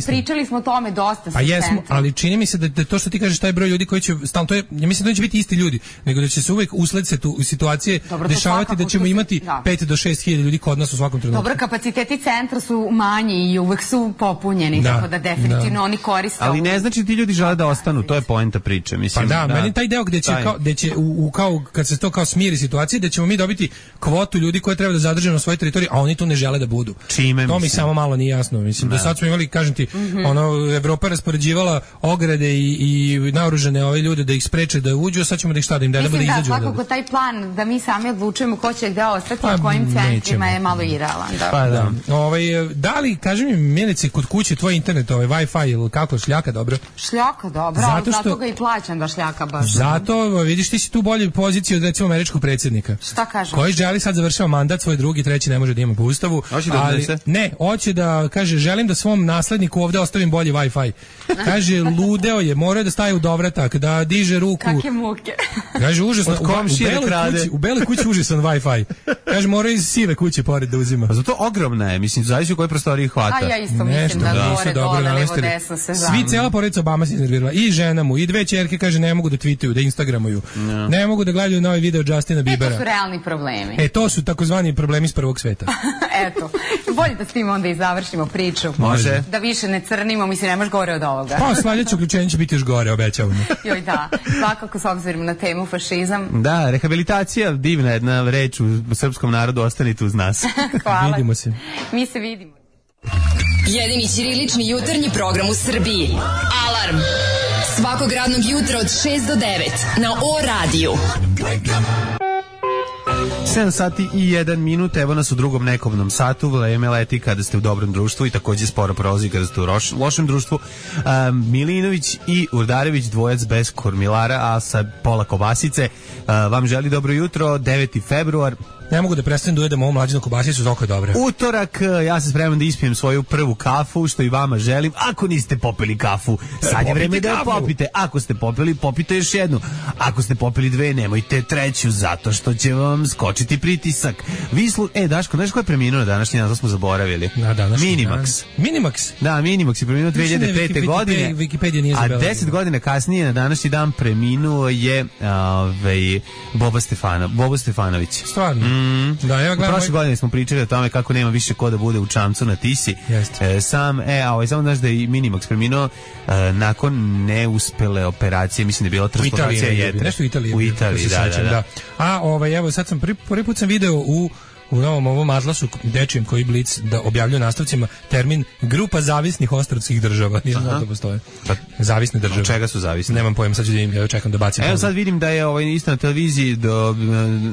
Pričali smo o tome dosta.
Pa jesmo, ali čini mi se da to što ti kažeš, taj broj ljudi koji će stalno, to je, ja mislim da neće biti isti ljudi, nego da će se uvek usled situacije dešavati da ćemo imati 5 do 6 hiljada ljudi kod nas u svakom trenutku.
Dobro, kapaciteti centra su manji i uvek su popunjeni, tako da definitivno oni koriste.
Ali ne znači ti ljudi žele da ostanu, to je poenta priče, mislim.
Pa da, meni taj deo gde će kao kad se to kao smiri situacije, da ćemo mi dobiti kvotu ljudi koje treba da zadrže na svojoj teritoriji, a oni tu ne žele da budu. To mi samo malo nije jasno, mislim. Do sad smo imali, kažem ti, Evropa raspoređivala ograde i naoružane ove ljude da ih spreče da uđu, a sad ćemo da ih šta da im da izađu.
Mislim da svakako taj plan da mi sami odlučujemo ko će gde ostati, na kojim centrima je malo irealan.
Pa da. Da li, kaži mi, Milice, kod kuće tvoj internet, Wi-Fi ili kako, šljaka dobro?
Šljaka dobro, ali zato ga i plaćam da šljaka baš.
Zato, vidiš, ti si tu bolje poziciji od recimo američkog predsjednika.
Šta kažem?
Koji želi sad završava mandat, svoj drugi, treći ne može da ima po ustavu. Hoće da kaže, želim da svom nasledniku ovde ostavim bolji Wi-Fi. Kaže, ludeo je, mora da staje u dovratak, da diže ruku.
Kakve muke.
Kaže, užasno, u beloj kući užasan Wi-Fi. Kaže, mora iz sive kuće pored da uzima.
A zato ogromna je, mislim, zavisi u kojoj prostoriji hvata.
A ja isto mislim da gore, dole, levo, desno se znam.
Svi, cela porodica Obama se iznervirala. I žena mu, i dve ćerke, kaže, ne mogu da tweetuju, da instagramuju. Ne mogu da gledaju novi video Justina Biebera.
To su realni problemi.
To su takozvani problemi iz prvog sveta.
Eto, bolje da s tim onda i završimo priču.
Može.
Da više ne crnimo, mislim, nemaš gore od ovoga.
Pa, sljedeće uključenje će biti još gore, obećavamo.
Joj, da. Svakako s obzirom na temu fašizam.
Da, rehabilitacija, divna jedna reč u srpskom narodu, ostanite uz nas.
Hvala.
Vidimo se.
Mi se vidimo.
Jedini ćirilični jutarnji program u Srbiji. Alarm. Svakog radnog jutra od 6 do 9 na O radiju.
7 sati i 1 minut, evo nas u drugom nekovnom satu, vreme leti kada ste u dobrom društvu i takođe sporo prolazi kada ste u lošem društvu. Milinović i Urdarević, dvojac bez kormilara, a sa pola kobasice, vam želi dobro jutro, 9. februar,
ne mogu da prestanem da ujedem ovu mlađinu kobasicu, toliko je dobro.
Utorak, ja se spremam da ispijem svoju prvu kafu, što i vama želim. Ako niste popili kafu, sad je vreme da je popite. Ako ste popili, popite još jednu. Ako ste popili dve, nemojte treću, zato što će vam skočiti pritisak. Daško, znaš ko je preminuo današnji dan, to smo zaboravili. Minimax.
Minimax?
Da, Minimax je preminuo 2005. godine.
Wikipedia nije zabela.
A 10 godina kasnije, na današnji dan, preminuo je Bobo Stefanović.
Stvarno? Da, evo gledam.
Prošle godine smo pričali o tome kako nema više ko da bude u čamcu na Tisi. Samo znaš da je Minimax preminuo nakon neuspele operacije, mislim da je bila transplantacija jetre.
Nešto u Italiji.
U Italiji, da.
A evo sad sam prvi put sam video u novom ovom atlasu dečijem koji Blic da objavljuje nastavcima termin grupa zavisnih ostrvskih država. Nisam znao da postoje. Zavisne države.
Od čega su zavisne?
Nemam pojma, sad ću da im čekam da bacim.
Evo sad vidim da je isto na televiziji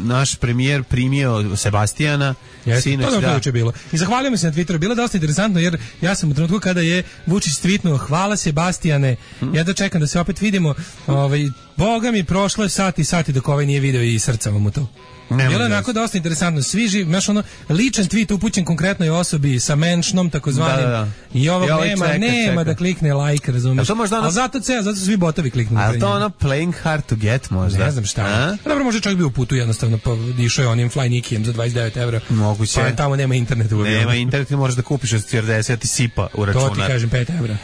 naš premijer primio Sebastijana.
Sinoć, to je bilo. I zahvaljujem se na Twitteru. Bilo je dosta interesantno jer ja sam u trenutku kada je Vučić tweetnuo hvala Sebastijane. Ja da čekam da se opet vidimo. Boga mi prošlo je sati dok ovaj nije video i srca mu to. Bilo je onako dosta interesantno. Svi živi, znaš ličan tweet upućen konkretnoj osobi sa menšnom takozvanim. I ovog nema da klikne like, razumiješ. Ali zato su svi botovi kliknuli.
Ali to playing hard to get možda?
Ne znam šta. Dobro, možda čovjek bio u putu jednostavno, pa išao je onim Fly Nikijem za 29 evra.
Moguće.
Pa tamo nema interneta.
Nema interneta, možeš da kupiš od 40 ti sipa u računar.
To ti kažem 5 evra.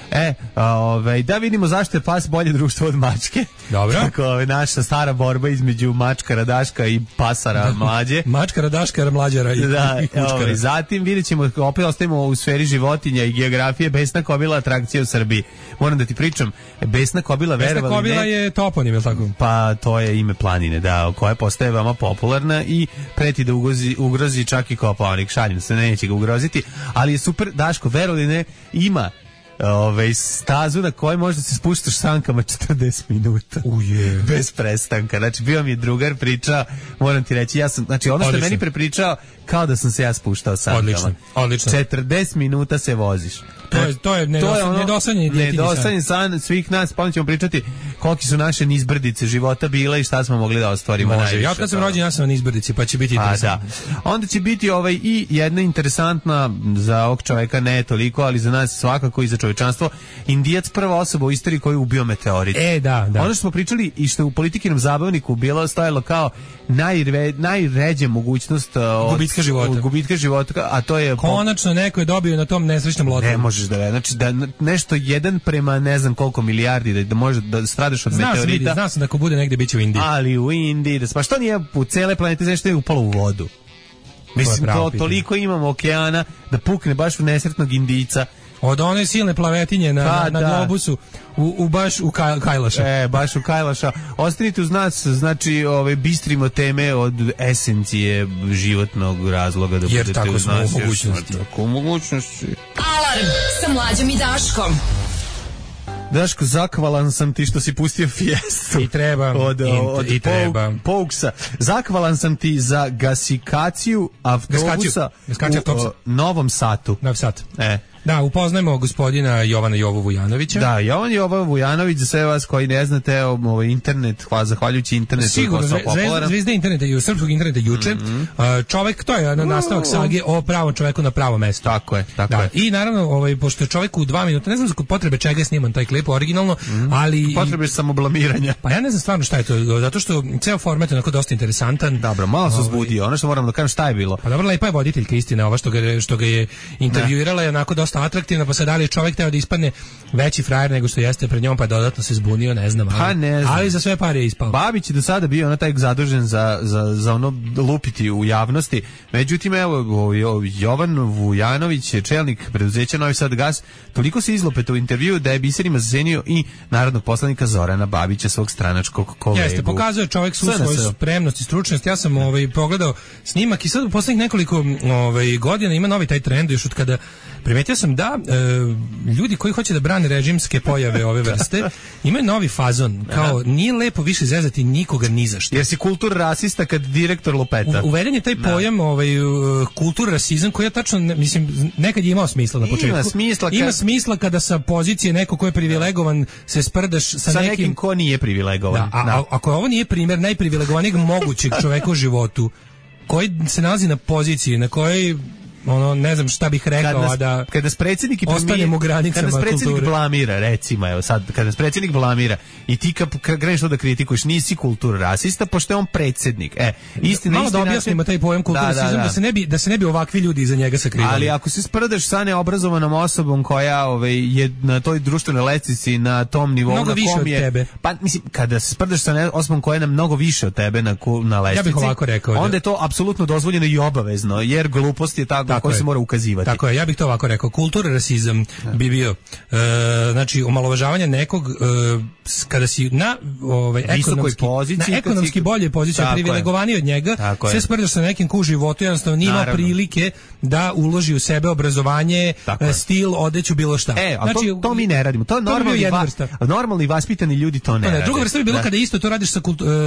Da vidimo zašto je pas bolje društvo od mačke.
Dobro.
Tako, naša stara borba između mačkara Daška i pasara mlađe.
Mačkara Daškara mlađara i kučkara.
Zatim vidjet ćemo, opet ostajemo u sferi životinja i geografije, besna kobila atrakcija u Srbiji. Moram da ti pričam, besna kobila, verovali ne.
Besna kobila je toponim, je li tako?
Pa to je ime planine, da, koja postaje veoma popularna i preti da ugrozi čak i Kopaonik. Šalim se, neće ga ugroziti, ali je super, Daško, verovali ne, ima stazu na kojoj možda se spuštaš sankama 40 minuta. Bez prestanka. Znači, bio mi je drugar pričao, moram ti reći, ono što je meni prepričao, kao da sam se ja spuštao sankama.
Odlično.
40 minuta se voziš.
To je nedosanjen
san svih nas, pa ćemo pričati koliki su naše nizbrdice života bile i šta smo mogli da ostvarimo.
Može, ja kad sam rođen, ja sam na nizbrdici, pa će biti interesantno.
Onda će biti i jedna interesantna za ovog čoveka, ne toliko, ali za nas svakako i za čovečanstvo, Indijac, prva osoba u istoriji koji je ubio meteorit.
Da.
Ono što smo pričali i što je u Politikinom zabavniku bilo stajalo kao najređe mogućnost gubitka života, a to je...
Konačno neko je dobio na tom nesrećnom lotu.
Ne možeš znači da nešto 1 prema ne znam koliko milijardi da može da stradaš od meteorita.
Znao sam da ako bude negde biće u Indiji.
Ali u Indiji, pa što nije u cele planete nešto je upalo u vodu. Mislim, toliko imamo okeana da pukne baš u nesretnog Indijca.
Od one silne plavetinje na globusu baš u Kajlaša.
Baš u Kajlaša. Ostanite uz nas, znači bistrimo teme od esencije životnog razloga da
jer
budete uz nas.
Tako
mogućnosti.
Alarm sa Mlađom i Daškom.
Daško, zahvalan sam ti što si pustio Fiestu.
I treba. Od
Pouksa. Zahvalan sam ti za gasikaciju autobusa u Novom Satu.
Novom Satu. Da, upoznajmo gospodina Jovana Jovu Vujanovića.
Da, Jovan Jovo Vujanović, za sve vas koji ne znate, internet, zahvaljujući internetu.
Sigurno, zvezda interneta i srpskog interneta juče. Čovek, to je nastavak sage o pravom čoveku na pravo mesto.
Tako je.
I naravno, pošto je čovek u 2 minuta, ne znam za potrebe čega je sniman taj klip originalno, ali...
Potrebe samoblamiranja.
Pa ja ne znam stvarno šta je to, zato što ceo format je onako dosta interesantan.
Dobro, malo se uzbudio, ono što moram da kažem šta je bilo.
Pa dobro, lepa je voditeljka, istina, ova što ga je intervjuirala je onako dosta atraktivna, pa sad da li je čovjek teo da ispadne veći frajer nego što jeste pred njom, pa je dodatno se zbunio, ne znam. Ali za sve pare je ispao.
Babić je do sada bio ono taj zadužen za ono lupiti u javnosti. Međutim, evo, Jovan Vujanović je čelnik preduzeća Novi Sad Gas, toliko se izlopeta u intervju da je biserima zasenio i narodnog poslanika Zorana Babića, svog stranačkog kolegu.
Jeste, pokazuje čovjek svu svoju spremnost i stručnost. Ja sam pogledao snimak i sad u poslednjih nekoliko godina ima novi taj trend, još od kada primetio sam da ljudi koji hoće da brane režimske pojave ove vrste imaju novi fazon, kao nije lepo više zezati nikoga ni za što.
Jer si kultur rasista kad direktor lupeta.
Uveden je taj pojam kultur rasizam koji je tačno, mislim, nekad je imao smisla na početku. Ima smisla kada sa pozicije neko ko je privilegovan se sprdaš sa nekim
ko nije privilegovan.
Ako ovo nije primjer najprivilegovanijeg mogućeg čoveka u životu, koji se nalazi na poziciji na kojoj ono, ne znam šta bih rekao,
kada nas predsjednik
ostanemo u granicama
kada nas predsjednik
kulture.
Blamira, recimo, evo sad, kada nas predsjednik blamira i ti kad kreneš to da kritikuješ, nisi kultura rasista, pošto je on predsjednik. Istina,
malo da objasnimo taj pojam kulturasizam, da se ne bi ovakvi ljudi iza njega sakrivali.
Ali ako se sprdaš sa neobrazovanom osobom koja je na toj društvenoj lestvici na tom nivou
mnogo
na
više
kom je,
od tebe.
Pa mislim, kada se sprdaš sa osobom koja je na mnogo više od tebe na lestvici,
ja bih ovako rekao,
onda je to apsolutno dozvoljeno i obavezno, jer glupost je tako koji se mora ukazivati.
Tako je, ja bih to ovako rekao. Kultura rasizam bi bio znači omalovažavanje nekog kada si na ekonomski bolje poziciji, privilegovaniji od njega, sve sprdaš sa nekim ko u životu jednostavno nima prilike da uloži u sebe obrazovanje, stil, odeću, bilo šta.
Znači, to mi ne radimo. To je normalni vaspitani ljudi to ne rade.
Druga vrsta bi bilo kada isto to radiš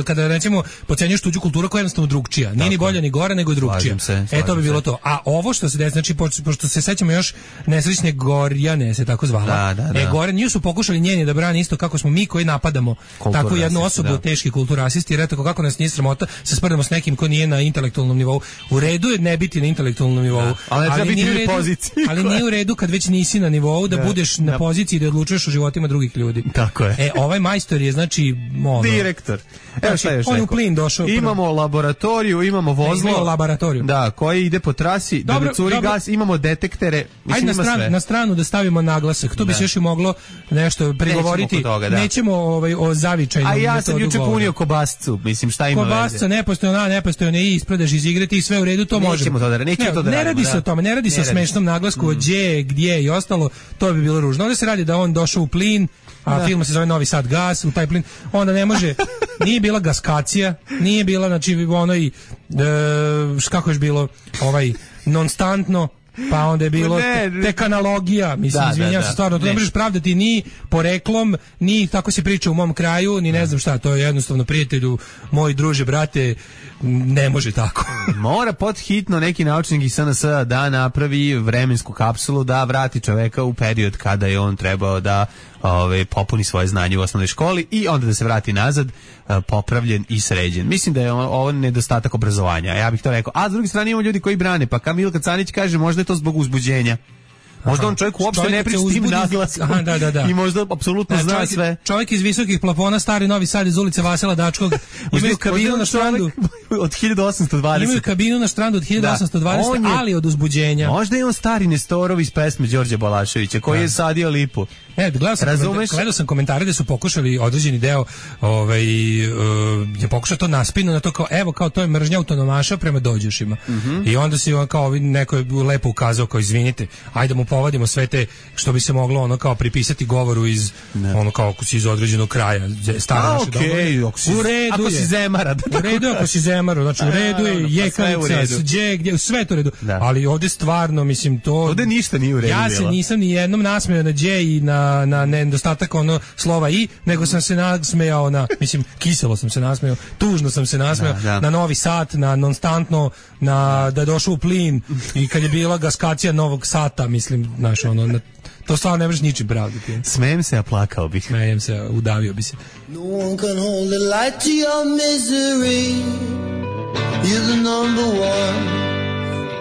kada recimo podcenjuješ tuđu kulturu koja je jednostavno drugčija. Nije ni bolja ni gora, nego drugčija. To bi bilo to. A ovo što se desi, znači pošto se sećamo još nesrećne Gorjane se tako zvala. Gorjane su pokušali njeni da brani isto kako smo mi koji napadamo tako jednu osobu teški kulturasisti, jer eto kako nas nije sramota se sprdamo s nekim ko nije na intelektualnom nivou. U redu je ne biti na intelektualnom nivou, ali nije u redu kad već nisi na nivou da budeš na poziciji da odlučuješ o životima drugih ljudi.
Tako je.
Ovaj majstor je znači
direktor. Evo šta još
on u plin došao.
Imamo laboratoriju, imamo vozilo, da, koji ide po trasi, da curi gas, imamo detektere.
Ajde na stranu da stavimo naglasak. To bi se još i moglo nešto prigovoriti. Nećemo o zavičajnom metodu.
A ja sam juče punio kobascu, mislim šta ima veze.
Kobasca nepostojno i ispredaš iz igre i sve u redu, to možemo. Ne radi se o tome, ne radi se o smešnom naglasku, gdje i ostalo, to bi bilo ružno. Onda se radi da on došao u plin, a film se zove Novi Sad gas, u taj plin, onda ne može, nije bila gaskacija, nije bila, znači, kako je bilo, nonstantno, pa onda je bilo tek analogija, mislim, izvinjam se stvarno, to ne možeš pravdati ni poreklom, ni tako se priča u mom kraju, ni ne znam šta, to je jednostavno, prijatelju, moj druže, brate, ne može tako.
Mora podhitno neki naučnik iz SNS da napravi vremensku kapsulu, da vrati čoveka u period kada je on trebao da popuni svoje znanje u osnovnoj školi i onda da se vrati nazad popravljen i sređen. Mislim da je ovo nedostatak obrazovanja, ja bih to rekao. A s druge strane imamo ljudi koji brane, pa Milka Canić kaže možda je to zbog uzbuđenja. Možda on čovjek uopšte ne priča s tim naglaskom i možda apsolutno zna sve.
Čovjek iz visokih plafona, stari Novi Sad iz ulice Vasila Dačkog, imaju kabinu na štrandu
od 1820.
Imaju kabinu na štrandu od 1820, ali od uzbuđenja.
Možda je on stari Nestorov iz pesme Đorđe Balaševića, koji je sadio lipu.
Gledao sam komentare da su pokušali određeni deo je pokušao to naspinu na to kao, evo, kao to je mržnja autonomaša prema dođošima. I onda si kao neko je lepo ukazao kao, izvinite, ajde mu povadimo sve te što bi se moglo kao pripisati govoru iz kao ako si iz određenog kraja stara naša domovina. U redu
ako si Zemara.
U redu ako si Zemara, znači u redu je Jekavica, gdje sve to u redu. Ali ovdje stvarno, mislim, to
ovdje ništa nije u redu.
Ja se nisam ni jednom nasmejao na Đ i na nedostatak slova i, nego sam se nasmejao na, kiselo sam se nasmejao, tužno sam se nasmejao na Novi Sat, na nonstantno, na da je došao u plin i kad je bila gaskacija Novog Sata, to stvarno ne možeš ničim pravdati.
Smejem se, a plakao bih.
Smejem se, udavio bi se.
No one can hold the light to your misery. You're the number one.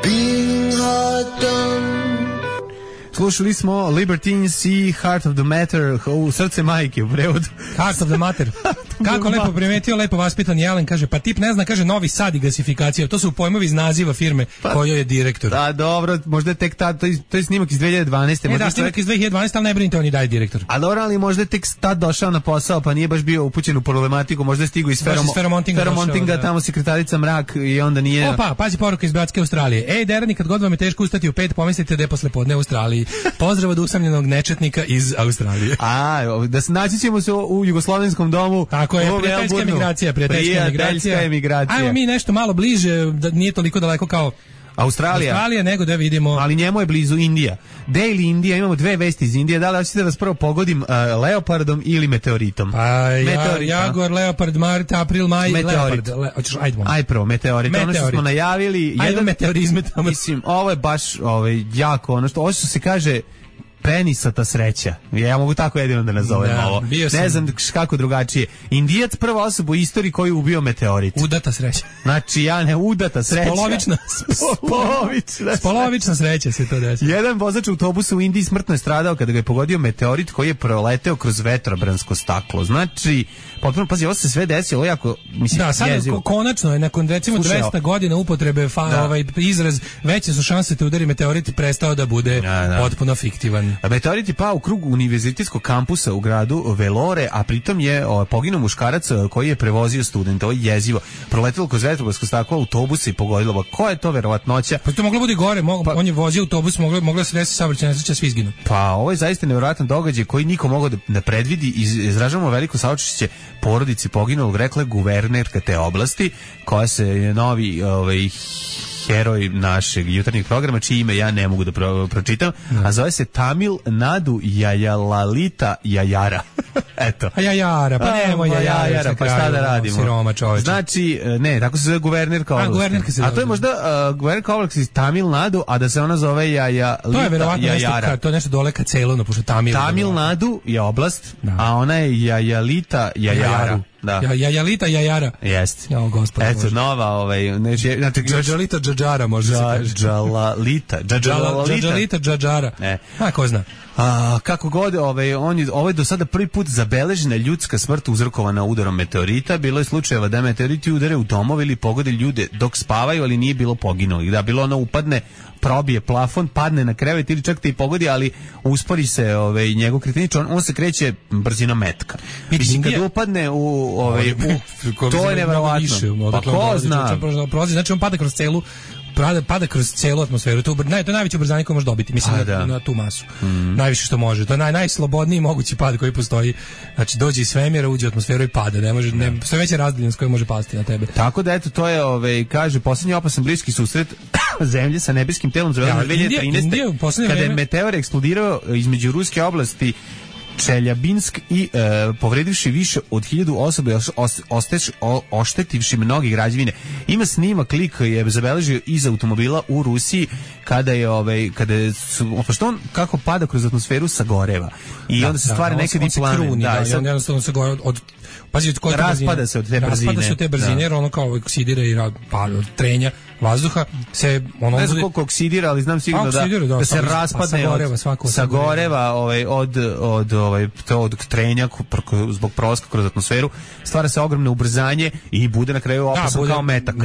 Being hard done.
Slušali smo Libertines i Heart of the Matter, u srce majke u prevodu.
Heart of the Matter. Kako lepo primetio, lepo vaspitan Jelen, kaže, pa tip ne zna, kaže, Novi Sad i gasifikacija, to su pojmovi iz naziva firme kojoj je direktor.
Da, dobro, možda je tek tad, to je snimak iz 2012.
Snimak iz 2012, ali ne brinite, on i daje direktor.
A dobro, ali možda je tek tad došao na posao, pa nije baš bio upućen u problematiku, možda je stigao iz Feromontinga, tamo sekretarica Mrak i onda nije...
Opa, pazi poruka iz Bratske Australije. Ej, derani, kad god vam je teško ustati u 5, pomislite da je posle podne u Australiji. Pozdrav od usamljenog nečetnika iz Australije.
Da se naći ćemo se u Jugoslovenskom domu.
Tako je, prijateljska emigracija. Ajmo mi nešto malo bliže, da nije toliko daleko kao Australija, nego da vidimo.
Ali njemu je blizu Indija. Daily Indija, imamo dve vesti iz Indije. Da li hoćete da vas prvo pogodim leopardom ili meteoritom?
Jagor, leopard, mart, april, maj, leopard.
Aj prvo, meteorit. Ono što smo najavili.
Ajde meteorizme tamo.
Mislim, ovo je baš jako, ovo što se kaže penisata sreća. Ja mogu tako jedino da nazovem ovo. Ne znam kako drugačije. Indijac prva osoba u istoriji koji je ubio meteorit.
Udata sreća.
Znači, udata sreća.
Spolovična sreća se to desi.
Jedan vozač autobusa u Indiji smrtno je stradao kada ga je pogodio meteorit koji je proleteo kroz vetrobransko staklo. Znači, potpuno, pazi, ovo se sve desilo jako, mislim,
da, sad konačno je nakon recimo 200 godina upotrebe izraz veće su šanse te udari meteorit prestao da bude potpuno fiktivan.
Meteorit je pao u krug univerzitetskog kampusa u gradu Velore, a pritom je poginuo muškarac koji je prevozio studenta. Ovo je jezivo. Proletelo kroz vetrobransko staklo autobusa i pogodilo. Ko je to verovatnoća?
Pa to moglo bude gore, on je vozio autobus, mogla se desiti saobraćajna nesreća, svi izginu.
Pa ovo je zaista nevjerojatan događaj koji niko mogao da predvidi. Izražavamo veliko saučešće porodici poginulog, rekla je guvernerka te oblasti, koja se je novi heroj našeg jutarnjeg programa, čije ime ja ne mogu da pročitam, a zove se Tamil Nadu Jayalalita Jajara. Eto.
A Jajara, pa nemoj Jajara,
pa šta da radimo?
Siroma čoveče.
Znači, ne, tako se zove guvernerka oblasti. A to je možda guvernerka oblasti iz Tamil Nadu, a da se ona zove Jayalalita.
To je verovatno nešto, to je nešto dole ka Ceylonu, pošto
Tamil Nadu je oblast, a ona je Jayalalita Jajara. Da.
Jajalita Jajara.
Jeste.
O, gospod.
Eto, nova, znači...
Džajalita Džađara, može se kaže. Džajalita Džađara. A, ko zna.
Kako god, ovo je do sada prvi put zabeležena ljudska smrt uzrokovana udarom meteorita. Bilo je slučajeva da meteoriti udare u domove ili pogode ljude dok spavaju, ali nije bilo poginulih. Da, bilo ono upadne, probije plafon, padne na krevet ili čak te i pogodi, ali uspori se njegov kretenič, on se kreće brzinom metka. Mislim, kad upadne to je neverovatno. Pa ko zna?
Znači, on pada kroz celu atmosferu. To je najveće ubrzanje koje može dobiti, mislim, na tu masu. Najviše što može. To je najslobodniji mogući pad koji postoji. Znači, dođe iz svemira, uđe u atmosferu i pada. Sve veće razdaljenost koja može pasti na tebe.
Tako da, eto, to je, kaže, posljednji opasan bliski susret Zemlje sa nebeskim telom zabeležen 2013. Kada je meteor eksplodirao između ruske oblasti Čeljabinsk i povredivši više od 1000 osoba i oštetivši mnogi građevine. Ima snimak, lik je zabeležio iz automobila u Rusiji kada što on kako pada kroz atmosferu sagoreva i onda se stvara nekad i plamen.
On jednostavno se gore
raspada se od te brzine.
Jer ono kao oksidira i od trenja vazduha se ono
ne znam koliko oksidira, ali znam sigurno da se raspadne sagoreva od trenja zbog prolaska kroz atmosferu, stvara se ogromno ubrzanje i bude na kraju opasan kao metak.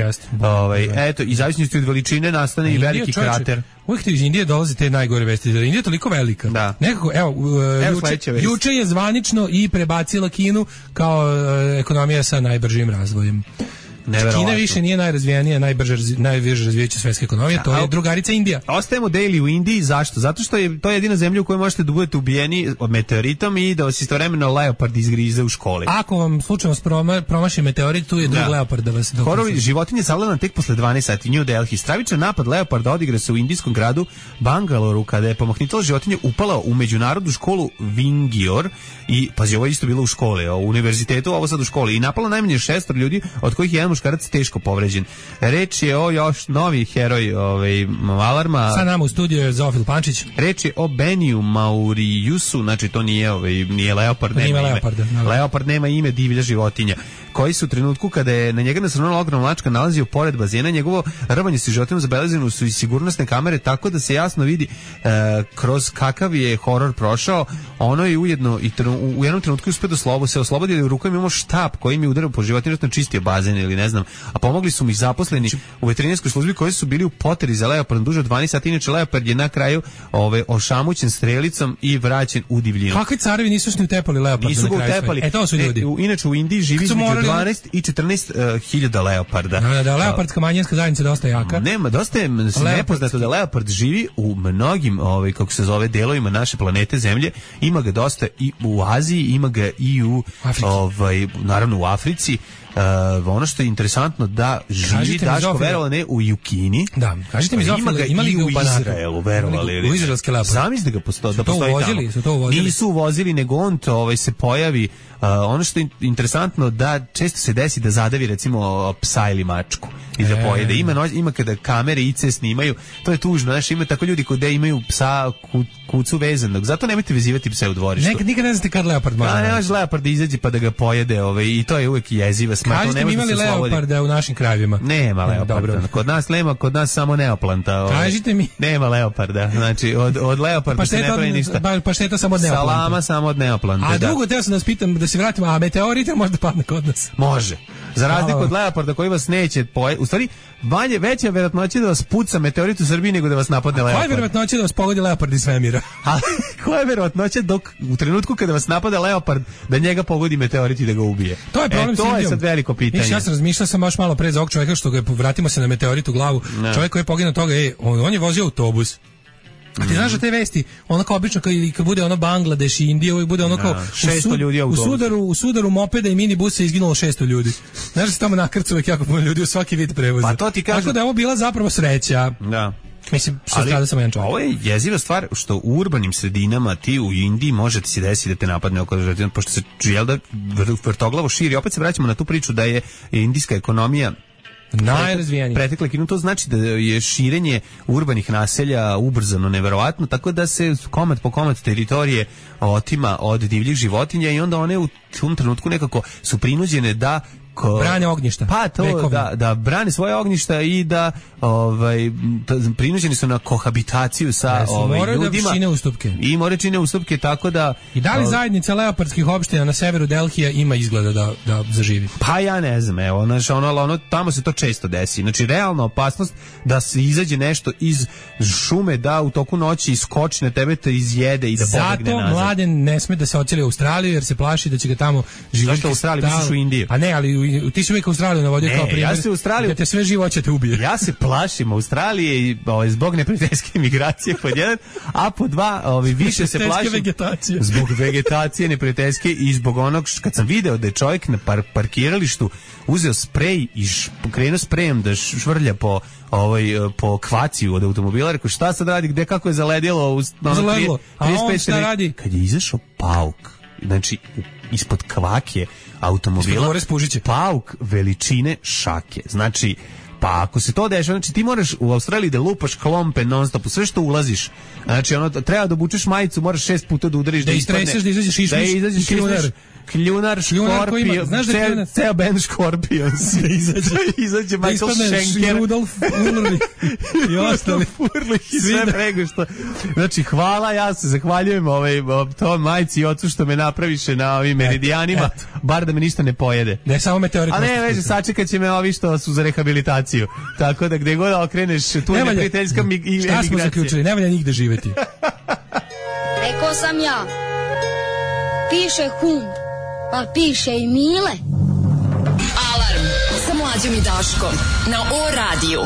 Eto, i zavisnosti od veličine nastane i veliki krater.
Uvijek iz Indije dolaze te najgore vesti. Indija je toliko velika.
Da.
Nekako, juče je zvanično i prebacila Kinu kao ekonomija sa najbržim razvojem. Kina više nije najrazvijenija, najbrže razvijajuća svetska ekonomija, to je drugarica Indija.
Ostajemo daily u Indiji, zašto? Zato što je to jedina zemlja u kojoj možete da budete ubijeni od meteoritom i da vas istovremeno leopard izgrize u školi.
Ako vam slučajno promaši meteorit, tu je drug leopard da vas...
Horovi životinje savladana tek posle 12 sati. New Delhi. Stravičan napad leoparda odigra se u indijskom gradu Bangaloru kada je pomahnitala životinja upala u međunarodnu školu Vingior i, pazi, ovo je isto bilo u školi, u univerzitetu, ovo sad u školi, i napala najmanje 6 ljudi, od kojih je jedan muškarac teško povređen. Reč je o još novi heroj Alarma.
Sa nama u studiju je Zofil Pančić.
Reč je o Beniju Maurijusu, znači to nije leopard, nema ime. Leopard nema ime, divlja životinja, koji su u trenutku kada je na njega nasrnula ogromna mačka nalazio pored bazena, njegovo rvanje sa životinjom zabeleženo su i sigurnosne kamere, tako da se jasno vidi kroz kakav je horor prošao. Ono je ujedno i u jednom trenutku uspio da se oslobodi, ali u rukama imamo štap koji mi je udario po životinju, čistio bazen ili ne znam, a pomogli su mi zaposleni u veterinarskoj službi koji su bili u poteri za leopardom duže od 12 sati. Inače leopard je na kraju ošamućen strelicom i vraćen u divljinu.
Kakvi carevi nisu ni utepali leoparda?
Nisu ga utepali.
To su ljudi.
Inače u Indiji živi između 12 i 14 hiljada leoparda.
Da, leopardska manjinska zajednica dosta jaka.
Nema, dosta je nepoznato da leopard živi u mnogim, kako se zove, delovima naše planete Zemlje. Ima ga dosta i u Aziji, ima ga i u naravno u Africi. Ono što je interesantno da živi, Daško, verovali ne, u Kini.
Da, kažite mi,
ima li ga u Izraelu, verovali.
U izraelske leoparde.
Zamisli da postoji tamo. Nisu uvozili, nego on se pojavi. Ono što je interesantno da često se desi da zadavi recimo psa ili mačku i da pojede. Ima kada kamere IC snimaju, to je tužno, znaš, ima tako ljudi koji imaju psa kucu vezanog. Zato nemojte vezivati pse u dvorištu.
Nikad ne znate kad leopard može.
Ne može leopard da izađe pa da ga pojede, i to je uvek jeziva smrt.
Kažete mi imali leoparda u našim krajevima?
Nema leoparda. Kod nas nema, kod nas samo neoplanta.
Kažite mi.
Nema leoparda. Znači od leoparda se ne pravi ništa.
Pašteta samo od neoplanta.
Salama samo od neoplanta.
A drugo, teo sam da vas pitam, da se vratimo, a meteorite možda padne kod nas?
Može. Za razliku od leoparda koji vas neće u stvari, veća verovatnoća da vas puca meteorit u Srbiji nego da vas napadne leopard.
Koja je verovatnoća da vas pogodi leopard iz svemira?
A koja je verovatnoća dok u trenutku kada vas napada leopard da njega pogodi meteorit i da ga ubije?
To je problem.
To je sad veliko pitanje.
Ja sam razmišljao baš malo pre za ovog čovjeka što ga vratimo se na meteorit u glavu. Ne. Čovjek koji je poginuo toga, on je vozio autobus. A ti znaš da te vesti, onako obično kad bude ono Bangladeš i Indija, uvijek bude ono kao
600 ljudi
u sudaru mopeda i minibusa je izginulo 600 ljudi. Znaš da se tamo nakrcu uvijek jako puno ljudi u svaki vid prevoza.
Pa to ti kažem.
Tako da je ovo bila zapravo sreća.
Da.
Mislim, što strada samo jedan čovjek.
Ovo je jeziva stvar što u urbanim sredinama ti u Indiji možete se desiti da te napadne oko žrtvena, pošto se vrtoglavo širi. Opet se vraćamo na tu priču da je indijska ekonomija
najrazvijenije.
Pretekle kinu, to znači da je širenje urbanih naselja ubrzano neverovatno, tako da se komad po komad teritorije otima od divljih životinja i onda one u tom trenutku nekako su prinuđene da
brane ognjišta.
Pa to da brane svoje ognjišta i da prinuđeni su na kohabitaciju sa ljudima. I moraju čine ustupke, tako da.
I da li zajednica leopardskih opština na severu Delhija ima izgleda da zaživi?
Pa ja ne znam, evo, tamo se to često desi. Znači realna opasnost da se izađe nešto iz šume, da u toku noći iskoči na tebe, te izjede i da pobegne nazad.
Zato Mladen ne sme da se odseli u Australiju jer se plaši da će ga tamo živjeti.
Zašto u Australiji misliš u Indiju?
A ne, ali ti si uvijek Australiju navodio kao primjer, da te sve živo će te ubije.
Ja se plašim Australije zbog neprijateljske imigracije pod jedan, a po dva više se plašim zbog vegetacije neprijateljske i zbog onog kad sam video da je čovjek na parkiralištu uzeo sprej i krenuo sprejem da švrlja po kvaciju od automobila, rekao šta sad radi, gde kako je zaledilo,
a on šta radi?
Kad je izašao pauk, znači ispod kvake automobila, pauk veličine šake. Znači, pa ako se to dešava, znači ti moraš u Australiji da lupaš klompe non stop, sve što ulaziš. Znači treba da obučeš majicu, moraš 6 puta da udariš,
da istreseš, da izađeš išmiš,
kljunar Škorpion, ceo band Škorpion izađe Michael Schenker,
Rudolf Ulrich i ostali
Ulrich i sve prego što. Znači hvala, ja se zahvaljujem toj majci i ocu što me napraviše na ovim meridijanima, bar da me ništa ne pojede.
Ne samo meteorit.
A ne, veže, sačekat će me ovi što su za rehabilitaciju. Tako da gde god okreneš, tu je neprijateljska emigracija.
Šta smo zaključili? Ne valja nigde živeti.
Rekao sam ja, piše hum, pa piše i Mile.
Alarm sa Mlađom i Daškom na O-radiju.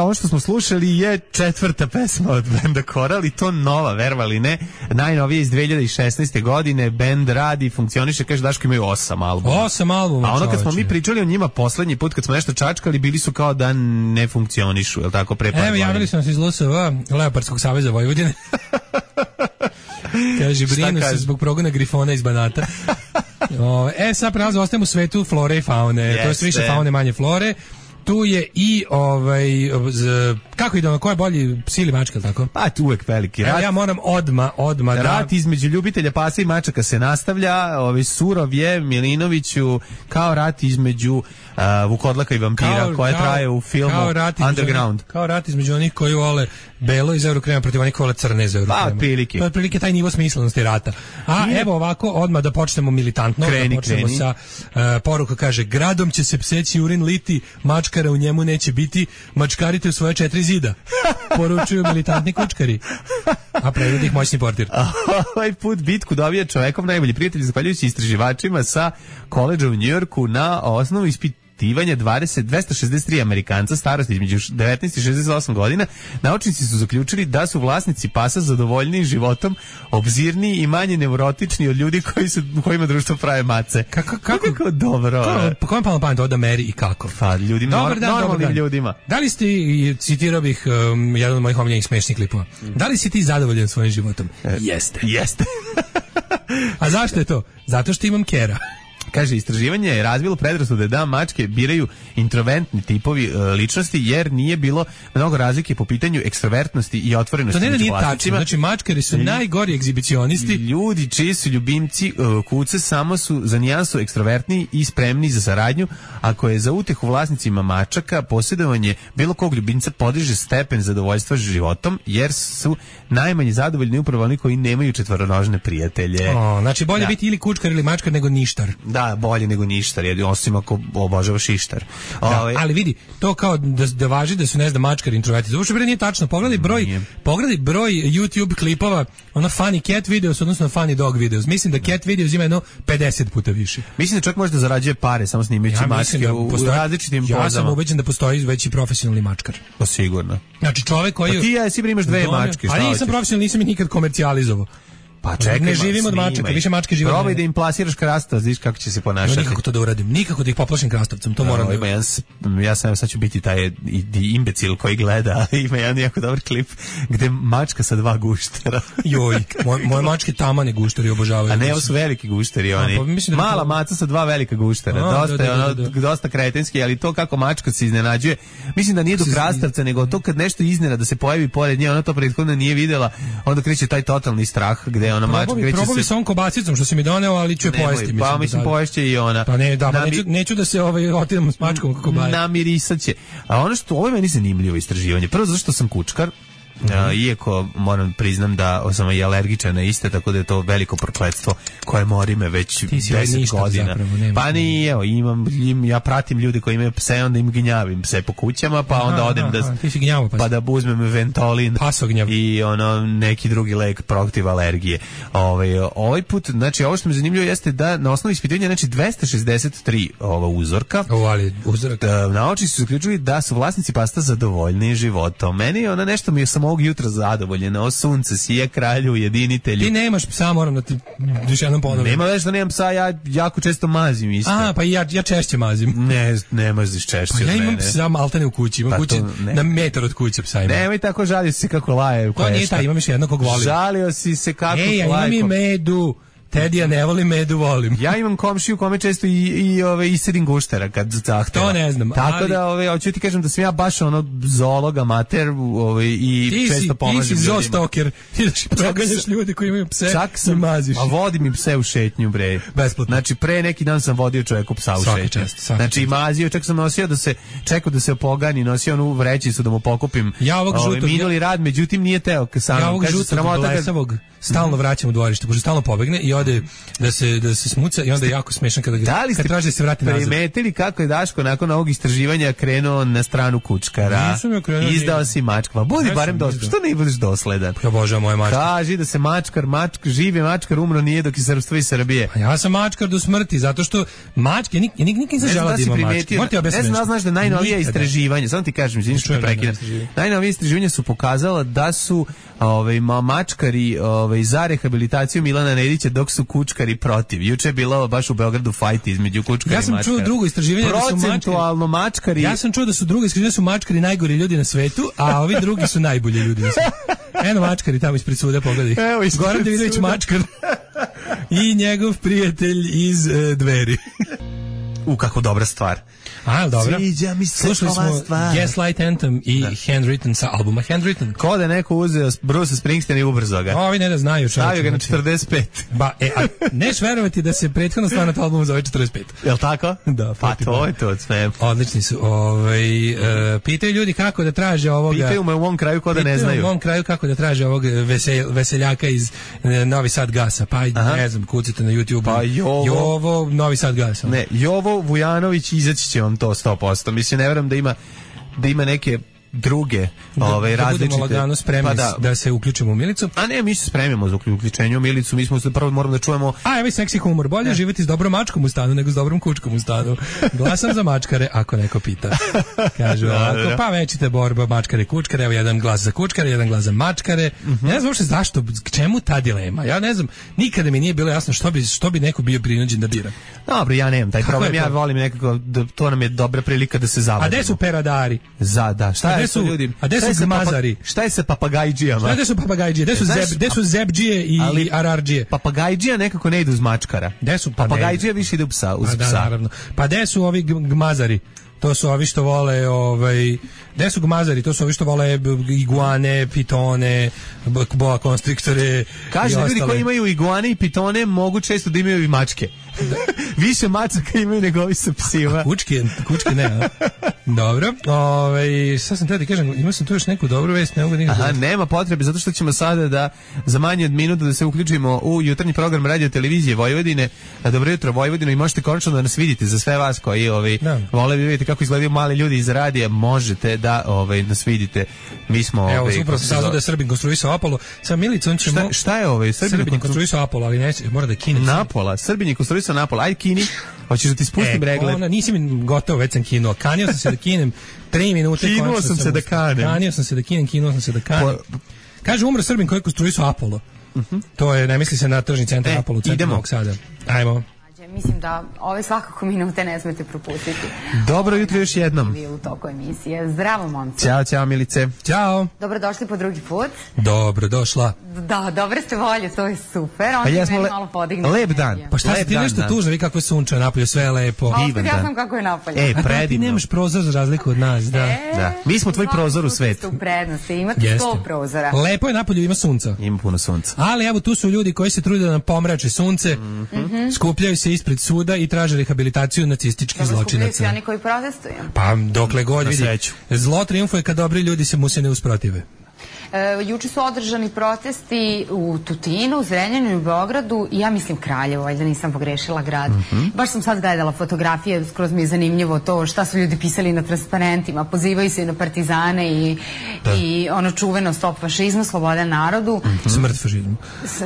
Ovo što smo slušali je 4. pesma od benda Koral i to nova, verovali ne, najnovije iz 2016. godine. Bend radi, funkcioniše, kaže Daško imaju 8 albuma.
8 albuma.
A ono kad smo mi pričali o njima poslednji put, kad smo nešto čačkali, bili su kao da ne funkcionišu, je li tako, pre par godina?
Evo, javili smo se iz LSV, Leopardskog saveza Vojvodine. Kaže, brinu se zbog progona grifona iz Banata. Sad prelazo, ostajemo u svetu flore i faune. To je više faune, manje flore. Tu je i kako ide ono, ko je bolji, psi ili mačka, tako?
Pa tu uvek veliki rat.
Ja moram odma
rat između ljubitelja pasa i mačaka se nastavlja. Surov je Milinoviću kao rat između Vukodlaka i vampira koja traje u filmu Underground.
Kao rat između onih koji vole belo iz Eurokrema protiv onih koji vole crne iz Eurokrema.
Pa otprilike.
To je otprilike taj nivo smislenosti rata. A evo ovako, odmah da počnemo militantno, da počnemo sa poruka, kaže, gradom će se pseći urin liti, mačkara u njemu neće biti, mačkarite u svoje 4 zida. Poručuju militantni kučkari. A prevodi ih moćni portir.
Ovaj put bitku dobija čovekov najbolji prijatelj, zahvaljujući istraživačima sa koledža u Njujorku na osnovu ispitivanja 263 Amerikanca starosti između 19 i 68 godina. Naučnici su zaključili da su vlasnici pasa zadovoljniji životom, obzirniji i manje neurotični od ljudi kojima društvo prave mace. Kako dobro.
Ko vam palo pamet od Ameri i kako?
Pa ljudima, normalnim ljudima.
Da li ste, citirao bih jedan od mojih omiljenih smešnih klipova, da li si ti zadovoljan svojim životom? Jeste.
Jeste.
A zašto je to? Zato što imam kera.
Kaže, istraživanje je razvilo predrasude da mačke biraju introvertni tipovi ličnosti, jer nije bilo mnogo razlike po pitanju ekstrovertnosti i otvorenosti.
To ne da nije tačno, znači mačkari su najgori egzibicionisti.
Ljudi čiji su ljubimci kuce samo su za nijansu ekstrovertni i spremni za saradnju, ako je za utehu vlasnicima mačaka posjedovanje bilo kog ljubimca podiže stepen zadovoljstva životom, jer su najmanje zadovoljni upravo oni koji nemaju četvoronožne prijatelje.
Znači bolje biti ili kučkar ili mačkar nego ništar.
Da, bolje nego ništar, jer osim ako obožavaš ištar.
Ali vidi, to kao da važi da su, ne znam, mačkari introverti. To uopšte nije tačno. Pogledaj broj YouTube klipova, ono funny cat videos, odnosno funny dog videos. Mislim da cat videos ima jedno 50 puta više.
Mislim da čovjek može da zarađuje pare samo snimajući mačke u različitim pozama.
Ja sam ubeđen da postoji veći profesionalni mačkar.
To sigurno.
Znači čovjek koji...
Pa ti ja si imaš dve mačke.
Ali nisam profesionalni, nisam ih nikad komercijalizovao.
Pa čekaj,
ne živim od mačaka, više mačke žive.
Probaj da im plasiraš krastavac, znaš kako će se ponašati.
No, nikako to da uradim, nikako da ih poplašim krastavcem, to moram da...
Ja sam sad ću biti taj imbecil koji gleda, ima jedan jako dobar klip gde mačka sa 2 guštera.
Joj, moje mačke tamane gušteri obožavaju.
A ne, ovo su veliki gušteri, oni. Mala maca sa 2 velika guštera, dosta kretenski, ali to kako mačka se iznenađuje, mislim da nije do krastavca, nego to kad nešto iznena da se pojavi pored nje, ona to prethodno nije videla, onda kreće taj totalni strah gde ona mačka kreće se...
Probali sa ovom kobasicom što si mi doneo, ali ću je pojesti.
Pa mislim poješće i ona.
Pa ne, da, neću da se otidemo s mačkom kako baje.
Namirisat će. A ono što, ovo je meni zanimljivo istraživanje. Prvo zato što sam kučkar, iako moram priznam da sam i alergičan na iste, tako da je to veliko prokletstvo koje mori me već 10 godina.
Zapravo,
pa nije, evo, ja pratim ljude koji imaju pse, onda im gnjavim pse po kućama, pa onda odem pa da uzmem Ventolin i neki drugi lek protiv alergije. Ovaj put, znači ovo što mi zanimljivo jeste da na osnovu ispitivanja, znači 263 uzorka, naučnici su zaključili da su vlasnici pasta zadovoljni životom. Meni ona nešto mi je samo ovog jutra zadovoljeno, sunce sije, kralju, jedinitelju.
Ti nemaš psa, moram da ti još jednom ponovim.
Nema već da nemam psa, ja jako često mazim isto.
Pa ja češće mazim.
Ne maziš češće od mene.
Pa ja imam psa maltene u kući, imam kući na metar od kuće psa imam.
Nemoj tako, žalio si se kako laje.
To nije taj, imam još jednog kog volim.
Žalio si se kako laje.
Ja imam i medu. Tedija ne volim, medu volim.
Ja imam komšiju kome često i sedim guštera kad zahteva.
To ne znam.
Tako da hoću ti kažem da sam ja baš zoolog amater i često pomažem ljudima.
Ti si zoostalker. Ideš i proganjaš ljude koji imaju pse.
Čak sam maziš. A vodim im pse u šetnju, bre.
Besplatno.
Znači pre neki dan sam vodio čovjeku psa u šetnju. Znači mazio, čak sam nosio čekao da se opogani, nosio onu vrećicu da mu pokupim.
Ja ovog žutog
minuli rad, međutim nije teo.
Ja ovog žutog blesavog stalno vraćam u dvorište, pošto stalno pobegne i ode da se smuca i onda je jako smešan kad traži da se vrati nazad.
Primetili kako je Daško nakon ovog istraživanja krenuo na stranu kučkara?
Nisam ja krenuo.
Izdao si mačka. Pa budi barem dosledan. Što ne budeš dosledan?
Ja božam moje mačke.
Kaži da se živi mačkar umro nije dok je srpstvo iz Srbije.
Pa ja sam mačkar do smrti, zato što mačke, nikad nisam želeo da imam mačke.
Ne znam, znaš da najnovija istraživanja, samo ti kažem, izvini što prekidam. Najnovija istraživanja su pokazala da su mačkari za rehabilitaciju Milana Nedića dok su kučkari protiv. Juče je bilo baš u Beogradu fajt između kučkara i mačkara.
Ja sam čuo drugo istraživanje
procentualno mačkari.
Ja sam čuo da su drugo istraživanje da su mačkari najgori ljudi na svetu, a ovi drugi su najbolji ljudi na svetu. Eno mačkari tamo ispred suda, pogledaj. Goran Davidović mačkar i njegov prijatelj iz Dveri.
Kako dobra stvar.
Dobro.
Sviđa mi se
slušali
ova stvar.
Gaslight Anthem i Handwritten sa albuma Handwritten.
Ko da neko uzeo Bruce Springsteen i ubrzo ga.
Ovi ne da znaju.
Stavio ga na 45.
Neš verovati da se prethodno stvar na to albumu zove 45.
Jel' tako?
Da.
Pa to je to sve.
Odlični su. Pitaju ljudi kako da traže ovoga.
Pitaju me u mom kraju ko da ne znaju.
Pitaju u mom kraju kako da traže ovog veseljaka iz Novi Sad Gasa. Pa ne znam, kucite na YouTube.
Pa
Jovo Novi Sad Gasa.
Ne, Jovo Vujanović izaći će vam to 100%. Mislim, ne verujem da ima neke druge različite. Da budemo
lagano spremni da se uključimo u Milicu.
A ne, mi se spremimo za uključenje u Milicu. Mi smo prvo moramo da čujemo...
evo i seksi humor. Bolje živjeti s dobrom mačkom u stanu nego s dobrom kučkom u stanu. Glasam za mačkare, ako neko pita. Kažu ovako, pa većite borba mačkare, kučkare. Evo jedan glas za kučkare, jedan glas za mačkare. Ne znam uopšte zašto, k čemu ta dilema. Ja ne znam, nikada mi nije bilo jasno što bi neko bio prinuđen da bira.
Dobro, ja nemam taj problem. Ja volim nekako, to nam je dobra prilika da se zavadimo.
A gde su peradari?
Šta
gde su gmazari?
Šta je sa papagajđijama?
Gde su papagajđije? Gde su zebđije i arardžije?
Papagajđija nekako ne ide uz mačkara.
Gde su
papagajđija više ide uz psa?
Da, naravno. Pa gde su ovi gmazari? To su ovi što vole, gde su gmazari? To su ovi što vole iguane, pitone, boa konstriktore.
Kaže, ljudi koji imaju iguane i pitone mogu često da imaju i mačke. Više mačaka imaju nego ovi sa psima.
Kučke ne, a? Dobro. Sad sam treba da kažem, imao sam tu još neku dobru vest, ne mogu nikada.
Aha, nema potrebe, zato što ćemo sada da za manje od minuta da se uključimo u jutarnji program radio televizije Vojvodine. Dobro jutro Vojvodino, i možete konačno da nas vidite. Za sve vas koji vole bi vidjeti kako izgledaju mali ljudi iz radija, možete da nas vidite. Mi smo
evo, upravo se saznao da je Srbin konstruisao Apollo. Sa Milicom ćemo...
Šta je
Srbin konstruisao Apollo, ali neće, mora da kine.
Napola, Srbin je konstruisao Napola. Ajde kini, hoćeš da ti spustim regle.
Nisi mi gotovo, već sam kinuo. Kanio sam se da kinem 3 minute.
Kinuo sam se da kanem.
Kanio sam se da kinem, kinuo sam se da kanem. Kaže, umro Srbin koji je konstruisao Apollo. To je, ne misli se na tržni centar Apollo, centar Novog Sada. Ajmo.
Mislim da ove svakako minute ne smete propustiti.
Dobro jutro još jednom.
U toku emisije. Zdravo, momci.
Ćao, Milice.
Ćao.
Dobrodošli po drugi put.
Dobrodošla.
Da, dobre ste volje, to je super.
Pa jesmo lep dan.
Pa šta se ti nešto tužno, vi kako je sunče napolje, sve je lepo.
Divan dan. Ja znam kako je napolje.
Predivno.
Ti nemaš prozor za razliku od nas, da.
Mi smo tvoj prozor u svetu.
U prednosti, imate 100 prozora.
Lepo je napolje, ima sunca.
Ima puno sunca.
Ali evo tu su ljudi koji se trude da nam pomrače sunce, skupljaju se ispred suda i traže rehabilitaciju nacističkih zločinaca.
Skupljaju se oni koji protestuju.
Pa dokle god vidi. Zlo triumfuje kad dobri ljudi mu se ne usprotive.
Juče su održani protesti u Tutinu, u Zrenjaninu i u Beogradu i ja mislim Kraljevo, valjda nisam pogrešila grad. Baš sam sad gledala fotografije, skroz mi je zanimljivo to šta su ljudi pisali na transparentima, pozivaju se na partizane i ono čuveno stop fašizmu, sloboda narodu.
Smrt fašizmu.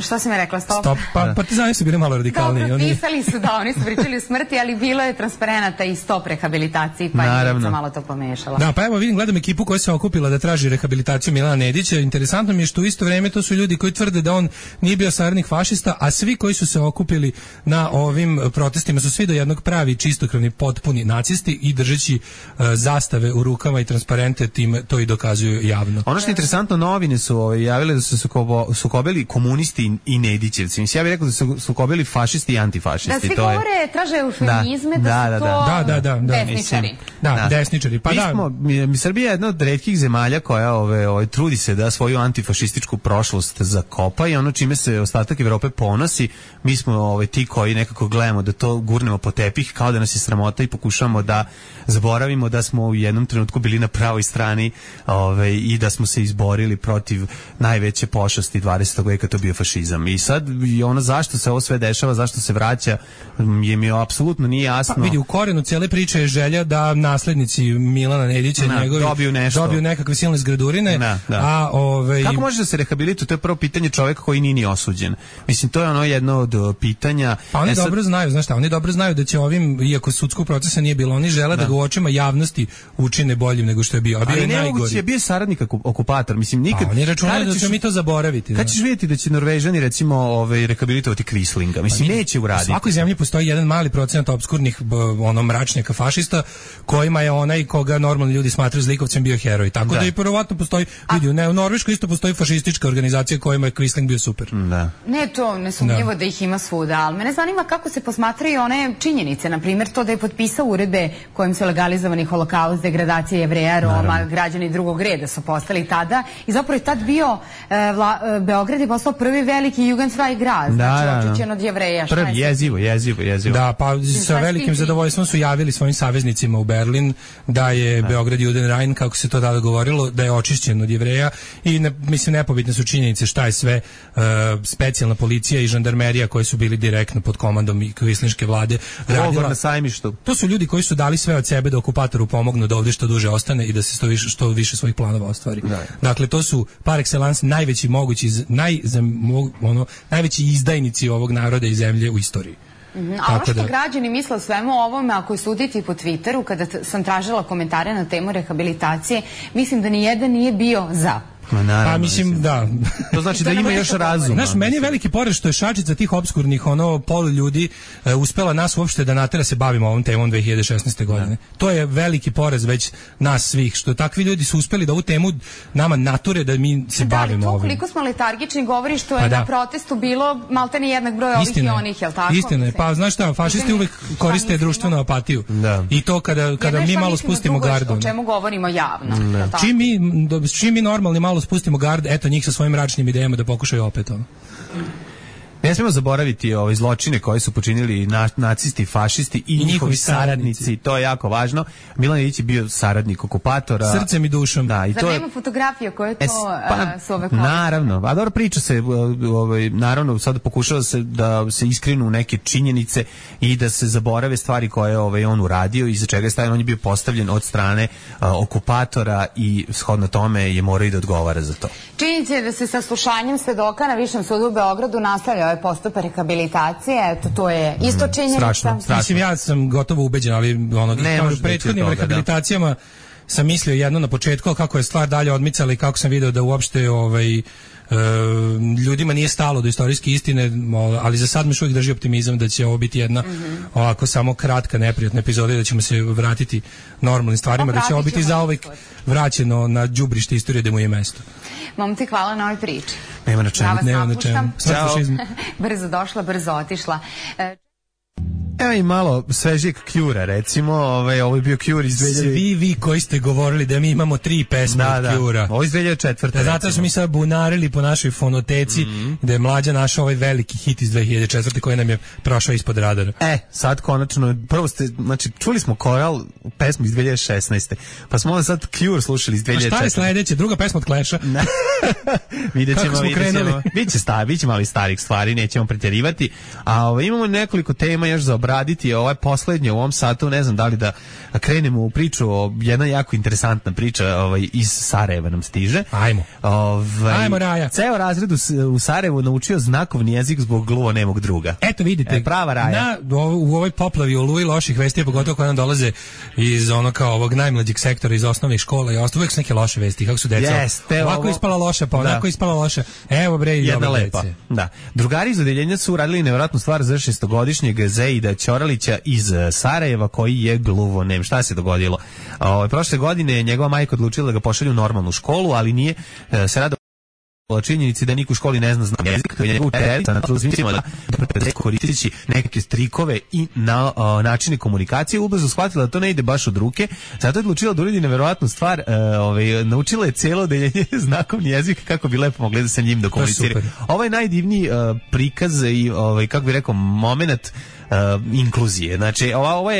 Šta si me rekla, stop?
Pa partizani su bili malo radikalniji.
Dobro, pisali su da, oni su pričali o smrti, ali bilo je transparenata i stop rehabilitaciji, pa je malo to pomešala.
Da, pa evo vidim, gledam ekipu koja se okupila da traži rehabilitaciju Milana Nedića. Interesantno mi je što u isto vrijeme to su ljudi koji tvrde da on nije bio saradnik fašista, a svi koji su se okupili na ovim protestima su svi do jednog pravi čistokrvni potpuni nacisti i držeći zastave u rukama i transparente time to i dokazuju javno.
Ono što je interesantno, novine su javile da su sukobili komunisti i Nedićevci. Mislim, ja bih rekao da su sukobili fašisti i antifašisti.
Da svi govore, traže eufemizme, da su to desničari.
Da, desničari. Pa
Srbija je jedna od retkih zemalja koja trudi se da svoju antifašističku prošlost zakopa i ono čime se ostatak Evrope ponosi, mi smo ti koji nekako gledamo da to gurnemo po tepih kao da nas je sramota i pokušamo da zaboravimo da smo u jednom trenutku bili na pravoj strani i da smo se izborili protiv najveće pošasti 20. veka, to bio fašizam. I sad ono zašto se ovo sve dešava, zašto se vraća, mi apsolutno nije jasno.
Pa vidi, u korenu cijele priče je želja da naslednici Milana Nedića njegovi dobiju nekakve silne zgradurine,
kako može da se rehabilituje? To je prvo pitanje čovjeka koji nije ni osuđen. Mislim, to je ono jedno od pitanja.
Pa oni dobro znaju, znaš šta, oni dobro znaju da će ovim, iako sudskog procesa nije bilo, oni žele da ga u očima javnosti učine boljim nego što je bio.
Ali nemoguće je bio saradnik okupator. Mislim, nikad.
Oni računaju da ćemo mi to zaboraviti.
Kad ćeš vidjeti da će Norvežani recimo rehabilitovati Quislinga? Mislim, neće uraditi.
U svakoj zemlji postoji jedan mali procenat opskurnih mračnjaka fašista kojima je onaj koga normalni ljudi smatraju zlikovcem bio heroj. Tako da i verovatno postoji, vidi, u Norveškoj isto postoji fašistička organizacija kojima je Quisling bio super.
Da.
Ne, to nesumnjivo da ih ima svuda, ali mene zanima kako se posmatraju one činjenice, na primjer to da je potpisao uredbe kojim su legalizovani holokaust, degradacija Jevreja, Roma, građani drugog reda su postali tada i zapravo je tad bio Beograd je postao prvi veliki Jugendsvaj grad, znači očišćen od Jevreja.
Jezivo.
Da, pa sa velikim zadovoljstvom su javili svojim saveznicima u Berlin da je Beograd Judenrein, kako se to tada govorilo, da je očišćen od Jevreja i mislim nepobitne su činjenice šta je sve specijalna policija i žandarmerija koji su bili direktno pod komandom Quislinške vlade radila
na Sajmištu.
To su ljudi koji su dali sve od sebe da okupatoru pomognu da ovdje što duže ostane i da se što više svojih planova ostvari. Dakle, to su par excellence najveći mogući najveći izdajnici ovog naroda i zemlje u istoriji.
A ono što građani misle o svemu ovome, ako suditi po Twitteru, kada sam tražila komentare na temu rehabilitacije, mislim da nijedan nije bio za.
Pa mislim, da.
To znači da ima još razuma.
Znaš, meni je veliki poraz što je šačica tih obskurnih pol ljudi uspela nas uopšte da natera se bavimo ovom temom 2016. godine. To je veliki poraz već nas svih, što takvi ljudi su uspeli da ovu temu nama nature da mi se bavimo ovim.
Koliko smo letargični govori što je na protestu bilo maltene jednak broj ovih i onih, jel tako?
Istina je, pa znaš šta, fašisti uvek koriste društvenu apatiju. I to kada mi malo spustimo gardu.
O čemu govorimo javno.
Čim mi normalni malo spustimo gard, eto njih sa svojim mračnim idejama da pokušaju opet ono.
Ne smemo zaboraviti ove zločine koje su počinili nacisti, fašisti i njihovi saradnici. To je jako važno. Milan Ilić je bio saradnik okupatora.
Srcem i dušom.
Da, i
to nema fotografije koje to su ove koje.
Naravno. A dobro, priča se, naravno, sad pokušava se da se iskrenu neke činjenice i da se zaborave stvari koje je on uradio i za čega je stavljen. On je bio postavljen od strane okupatora i shodno tome je morao i da odgovara za to.
Činjenica je da se saslušanjem svedoka na Višem sudu u Beogradu nastavlja ovaj postupak rehabilitacije, eto, to je isto činjenica.
Strašno. Mislim, ja sam gotovo ubeđen, ali u prethodnim rehabilitacijama sam mislio jedno na početku, kako je stvar dalje odmicala i kako sam video da uopšte ljudima nije stalo do istorijske istine, ali za sad mi još uvijek drži optimizam da će ovo biti jedna ovako samo kratka neprijatna epizoda i da ćemo se vratiti normalnim stvarima, da će ovo biti zauvek vraćeno na đubrište istorije da mu je mesto.
Momci, hvala na ovoj priči.
Nema na čemu.
Brzo došla, brzo otišla.
Evo i malo svežijeg Cure-a, recimo, ovo je bio Cure iz 2000...
Svi vi koji ste govorili da mi imamo 3 pesme od Cure-a.
Ovo iz 2004.
Zato smo mi sad bunarili po našoj fonoteci, da je Mlađa našao ovaj veliki hit iz 2004. koji nam je prošao ispod radara.
Sad konačno, prvo ste, znači, čuli smo Koral, pesmu iz 2016. Pa smo sad Cure slušali iz 2004.
A šta je sledeće? Druga pesma od Clash-a?
Vidjet ćemo. Biće malo starih stvari, nećemo pretjerivati. A imamo nekoliko tema još za obraditi. Ovo je poslednje u ovom satu, ne znam da li da krenemo u priču, jedna jako interesantna priča iz Sarajeva nam stiže.
Ajmo Raja.
Ceo razred u Sarajevu naučio znakovni jezik zbog gluvonemog druga.
Eto vidite,
prava Raja.
U ovoj poplavi oluji loših vesti, pogotovo koje nam dolaze iz ovog najmlađeg sektora, iz osnovnih škola i uvek su neke loše vesti, kako su deca. Ovako ispala loša, pa onako ispala loša. Evo bre,
jedna lepa. Da. Drugari iz odeljenja su uradili nevjerojatnu stvar za 6-godišnjeg Zeida Ćoralića iz Sarajeva koji je gluvonem. Šta se dogodilo? Prošle godine njegova majka odlučila da ga pošalje u normalnu školu, ali nije se rado o činjenici da niko u školi ne zna jezik, to je njegov učiteljica na truznicima da koristeći neke strikove i načine komunikacije, ubrzo shvatila da to ne ide baš od ruke, zato je odlučila da uradi neverovatnu stvar, naučila je cijelo odeljenje znakovni jezik kako bi lepo mogli da sa njim da komunicira. Ovo je najdivniji prikaz i, kako bi rekao, moment inkluzije. Znači, ovo je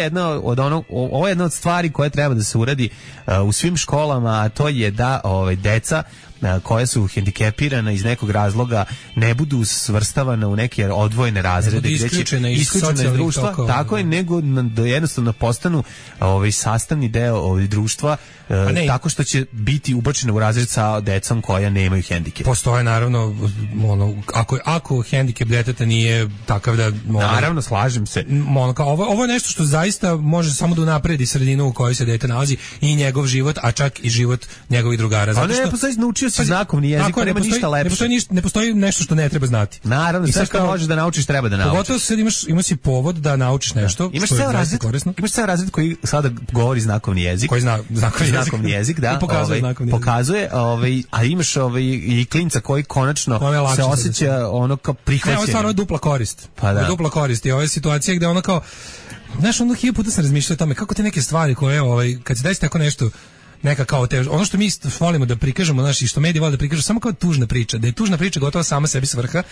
jedna od stvari koje treba da se uradi u svim školama, a to je da deca koja su hendikepirana iz nekog razloga ne budu svrstavane u neke odvojene razrede,
isključene iz
društva,
tokova,
tako je, nego da jednostavno postanu sastavni deo društva, tako što će biti ubačene u razred sa decom koja nemaju hendikep.
Postoje naravno, ako hendikep deteta nije takav da...
Naravno, slažem se.
Ovo je nešto što zaista može samo da unapredi sredinu u kojoj se dete nalazi i njegov život, a čak i život njegovih drugara.
Ali ne postoji naučio si znakovni jezik, pa nema ništa lepše.
Ne postoji nešto što ne treba znati.
Naravno, sve što možeš da naučiš treba da naučiš.
Pogotovo sad imaš i povod da naučiš nešto.
Imaš ceo razred koji sada govori znakovni jezik.
Koji zna
znakovni jezik, da. Pokazuje, a imaš i klinca koji konačno se osjeća ono kao prihvaćen.
Ovo je stvarno dupla korist.
Pa da.
Dupla korist i ova je situacija gde ono kao, znaš, ono 1000 puta sam razmišljao o tome kako te neke stvari koje, kad se desi tako nešto, neka kao ono što mi volimo da prikažemo, znači što mediji vole da prikažu samo kao tužna priča, da je tužna priča gotovo sama sebi svrha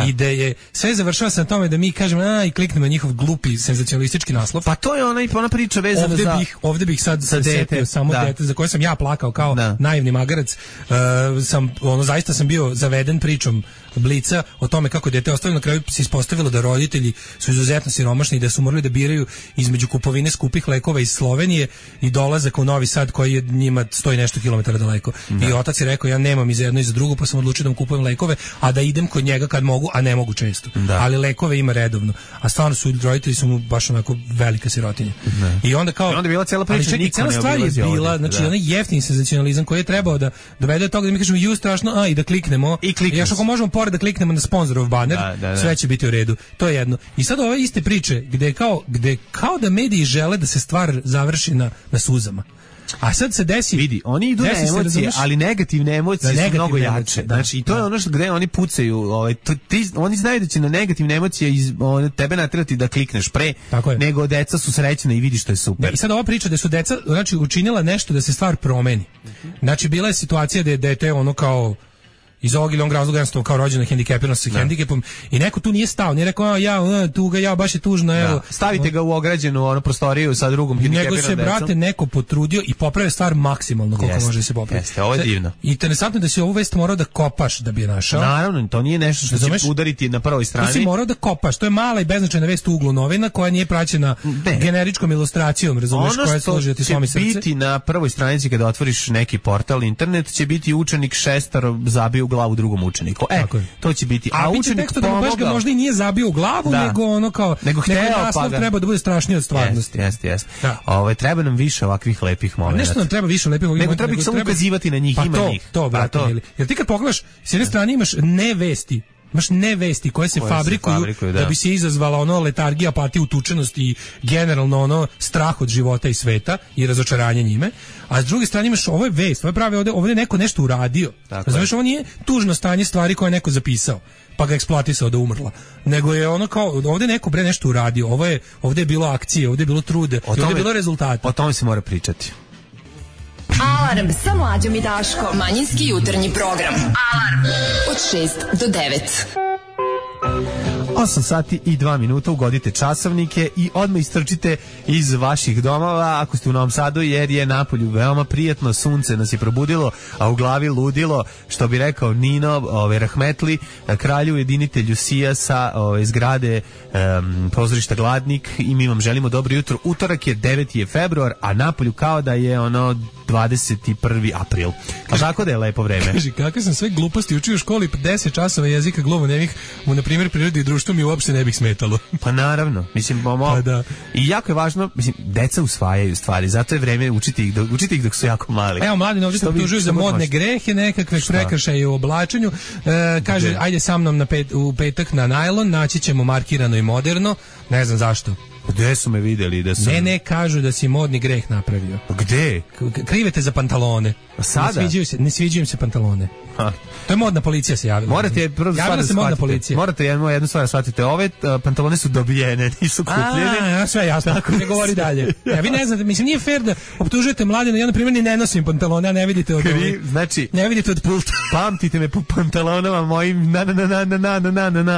i da je sve završava se na tome da mi kažemo i kliknemo na njihov glupi senzacionalistički naslov.
Pa to je ona priča vezana
ovde bih sad setio samo dete za koje sam ja plakao kao naivni magarac. Zaista sam bio zaveden pričom Blica o tome kako dete ostavljeno, na kraju se ispostavilo da roditelji su izuzetno siromašni i da su morali da biraju između kupovine skupih lekova iz Slovenije i dolazaka u Novi Sad koji je njima 100 i nešto kilometara daleko. I otac je rekao, ja nemam i za jedno i za drugo, pa sam odlučio da mu kupujem lekove, a da idem kod njega kad mogu, a ne mogu često. Ali lekove ima redovno. A stvarno su roditelji su mu baš onako velika sirotinja. I onda kao...
I onda je bila cijela priča, niko ne obilazi ovdje.
Znači, onaj jeftini senzacionalizam koji je trebao da dovede do toga da mi kažemo ju strašno, i da kliknemo. I još ako možemo pored da kliknemo na sponzorov baner, sve će biti u redu. To je jedno. I sad ove iste priče gde kao da mediji žele da se stvar završi na suzama. A sad se desi...
Vidi, oni idu na emocije, ali negativne emocije su mnogo jače. Znači, i to je ono što gde oni pucaju. Oni znaju da će na negativne emocije tebe naterati da klikneš pre, nego deca su srećna i vidi što je super.
I sad ova priča da su deca učinila nešto da se stvar promeni. Znači, bila je situacija da je to ono kao... iz ovog ili onog razloga jednostavno kao rođena hendikepirana sa hendikepom i neko tu nije stao, nije rekao tuga, baš je tužno, evo.
Stavite ga u ograđenu prostoriju sa drugom hendikepiranom decom.
Nego se, brate, neko potrudio i popravio stvar maksimalno koliko može se popraviti.
Jeste, ovo je divno.
I interesantno da si ovu vest morao da kopaš da bi je našao.
Naravno, to nije nešto što će udariti na prvoj strani.
To si morao da kopaš, to je mala i beznačajna vest u uglu novina koja nije praćena generičkom ilustracijom, razumeš, koja služi da ti slomi srce.
Ono što će biti na prvoj stranici kada otvoriš neki portal internet će biti učenik šestar zabio u glavu drugom učeniku. To će biti.
A učenik pomogao. Baš ga možda i nije zabio u glavu, nego ono kao naslov treba da bude strašniji od stvarnosti.
Jeste. Treba nam više ovakvih lepih momenata.
Nešto nam treba više lepih momenata.
Nego treba ih samo ukazivati na njih, ima njih.
Jer ti kad pogledaš, s jedne strane imaš ne vesti koje se fabrikuju da bi se izazvala ono letargija, apatija, utučenost i generalno ono strah od života i sveta i razočaranje njime, a s druge strane imaš ovo je vest, ovo je pravi ovdje neko nešto uradio. Znaš, ovo nije tužno stanje stvari koje je neko zapisao pa ga eksploatisao da umrla, nego je ono kao ovdje neko nešto uradio, ovdje je bilo akcije, ovdje je bilo trude, ovdje je bilo rezultata.
O tome se mora pričati.
Alarm sa Mlađom i Daškom. Manjinski jutarnji program. Alarm od 6 do 9.
8 sati i 2 minuta, ugodite časovnike i odmah istrčite iz vaših domova ako ste u Novom Sadu, jer je napolju veoma prijatno, sunce nas je probudilo, a u glavi ludilo, što bi rekao Nino Rahmetli, kralju jedinitelju Sija sa zgrade pozorišta Gladnik, i mi vam želimo dobro jutro. Utorak je 9. februar, a napolju kao da je 21. april. A tako da je lepo vreme.
Kaži, kakve sam sve gluposti učio u školi, 10 časova jezika glumonevih u, na primjer, prirodi i društvu mi uopšte ne bih smetalo.
Pa naravno, mislim, i jako je važno, mislim, deca usvajaju stvari, zato je vreme učiti ih dok su jako mali.
Evo, mladi ovdje se optužuju za modne grehe, nekakve prekršaje u oblačenju, kaže, ajde sa mnom u petak na najlon, naći ćemo markirano i moderno, ne znam zašto.
Gde su me vidjeli da sam...
Ne, kažu da si modni greh napravio.
Gde?
Krivete za pantalone.
A sada?
Ne sviđaju se pantalone. To je modna policija se javila.
Morate jednu stvar shvatite. Ove pantalone su dobijene, nisu kupljene.
Sve jasno, ne govori dalje. Vi ne znate, mislim, nije fair da optužujete mladine. Ja, na primjer, ni ne nosim pantalone, a ne vidite od
znači,
ne vidite od pulta.
Pamtite me po pantalonama mojim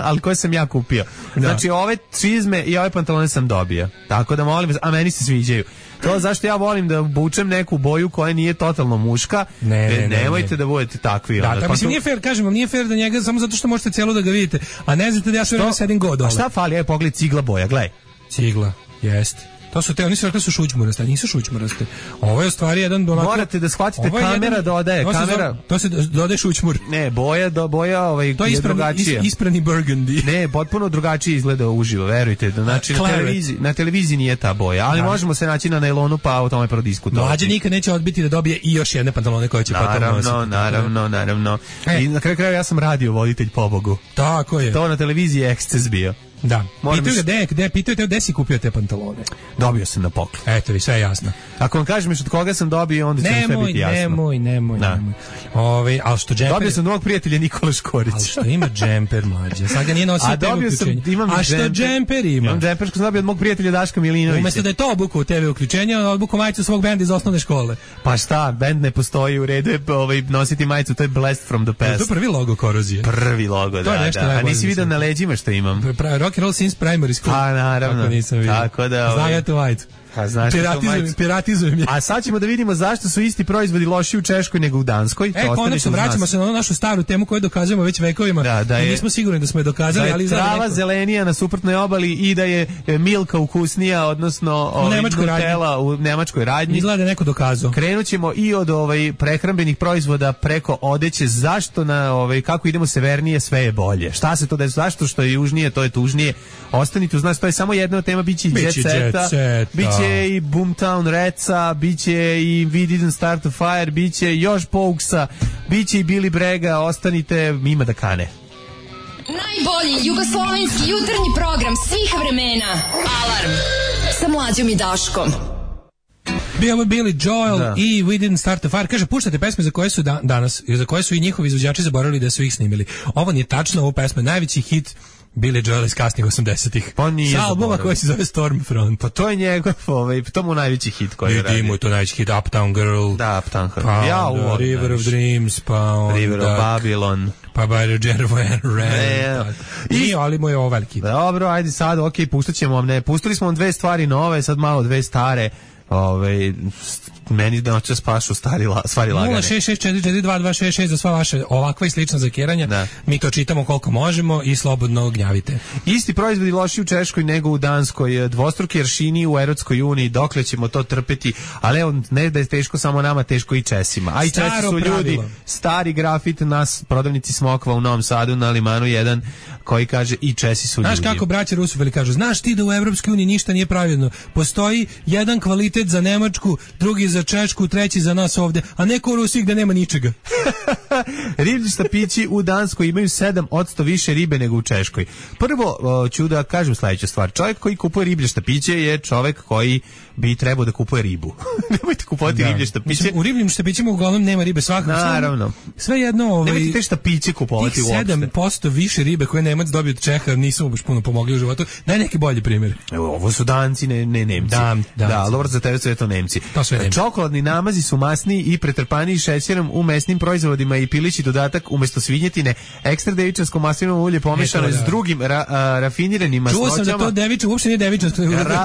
ali koje sam ja kupio. Znači, ove čizme i ove pantalone sam dobio. Tako da molim vas, a meni se sviđaju. To zašto ja volim da obučem neku boju koja nije totalno muška. Nemojte da budete takvi.
Da, mislim, nije fair, kažem vam, nije fair da njega samo zato što možete cijelo da ga vidite, a ne znate da ja sve vreme sedim god.
A šta fali? Aj, pogledaj, cigla boja, gledaj.
Cigla, jeste. To su oni su rekli su šućmuraste, nisu šućmuraste. Ovo je u stvari jedan
morate da shvatite, kamera dodaje,
to se dodaje šućmur.
Ne, boja
to je
drugačija.
Isprani burgundy.
Ne, potpuno drugačije izgleda uživo, verujte. Znači na televiziji nije ta boja, ali možemo se naći na nailonu pa o tome prodiskutovati.
Mlađe nikad neće odbiti da dobije i još jedne pantalone koje će potom nositi.
Naravno. I na kraju krajeva ja sam radio voditelj, pobogu.
Tako je.
To na televiziji je eksces bio.
Da. Pitaju te gde si kupio te pantalone?
Dobio sam na poklon.
Eto, vi sve je jasno.
Ako vam kažem od koga sam dobio, onda će sve biti jasno.
Nemoj. Ali što džemper...
Dobio sam od mog prijatelja Nikola Škorić.
Ali što ima džemper, mlađe? Sad ga nije nosio TV uključenja. A što džemper ima?
Imam džemper što sam dobio od mog prijatelja Daška Milinovića.
Umesto da je to obukao TV uključenja, obukao majicu svog benda iz osnovne škole.
Pa šta, bend ne postoji, u redu je nositi majicu, to je Blast from the Past.
To je prvi logo Korozije.
Prvi logo, da. A nisi vidio na leđima što imam?
Rock and roll since primary school.
Pa naravno.
Tako nisam vidio.
Tako da...
Znam ja tu majicu.
znaš,
piratizujem je.
A sad ćemo da vidimo zašto su isti proizvodi loši u Češkoj nego u Danskoj.
Konačno vraćamo se na onu našu staru temu koju dokazujemo već vekovima.
Da
i nismo sigurni da smo je dokazali, ali
trava zelenija na suprotnoj obali i da je Milka ukusnija, odnosno Nutella u nemačkoj radnji.
Izgleda neko dokazao.
Krenućemo i od prehrambenih proizvoda preko odeće. Zašto kako idemo severnije sve je bolje? Šta se to desilo? Zašto što je južnije to je tužnije? Ostanite uz nas, to je samo jedna od tema, biće i Jet Seta, biće i Boomtown Reca, biće i We Didn't Start a Fire, biće još Pouksa, biće i Billy Brega, ostanite, ima da kane.
Najbolji jugoslovenski jutarnji program svih vremena. Alarm sa Mlađom i Daškom.
Bio Billy Joel i We Didn't Start a Fire. Kaže, puštate pesme za koje su danas, za koje su i njihovi izvođači zaboravili da su ih snimili. Ovo nije tačno, ovo pesme najveći hit Billy Joel iz kasnih 80-ih.
Pa nije
sa albuma koji se zove Stormfront.
Pa to je njegov, to mu najveći hit koji je radio.
Mu je to najveći hit, Uptown Girl.
Da, Uptown Girl.
Pa River of Dreams, pa
River of Babylon.
Pa By the Jeremy Rand. Ali mu je ovo veliki.
Dobro, ajde sad, pustit ćemo vam, pustili smo vam dve stvari nove, sad malo dve stare. Meni da noće spašu stvari lagane.
066442266 za sva vaše ovakva i slična zakiranja. Mi to čitamo koliko možemo i slobodno gnjavite.
Isti proizvodi loši u Češkoj nego u Danskoj, dvostruki aršini u Europskoj uniji, dokle ćemo to trpeti, ali evo, ne da je teško samo nama, teško i Česima. A i Česi su ljudi, stari grafit nas prodavnici Smokva u Novom Sadu na Limanu 1 koji kaže i Česi su ljudi.
Znaš kako braća Rusoveli kažu, znaš ti da u Europskoj uniji ništa nije pravilno, postoji jedan kvalitet za Nemačku, drugi za Češku, treći za nas ovde, a neko u Rusiji gde nema ničega.
Riblji štapići u Danskoj imaju 7% više ribe nego u Češkoj. Prvo ću da kažem sledeću stvar. Čovjek koji kupuje riblje štapiće je čovjek koji bi trebao da kupuje ribu. Nemojte kupovati riblje štapiće.
U ribljim štapićima uglavnom nema ribe svakako.
Naravno.
Sve jedno...
Nemojte te štapiće kupovati uopšte.
7% više ribe koje Nemac dobio od Čeha nisu mu baš puno pomogli u životu. Daj neki bolji primjer.
Ovo su Danci, ne Nemci. Da, dobro za tebe sve to Nemci. Čokoladni namazi su masniji i pretrpaniji šećerom u mesnim proizvodima i pilići dodatak umjesto svinjetine, ekstra devičansko maslinovo ulje pomešano s drugim rafiniranim masnoćama.
Čuo sam da to deviče, uopšte nije devičansko,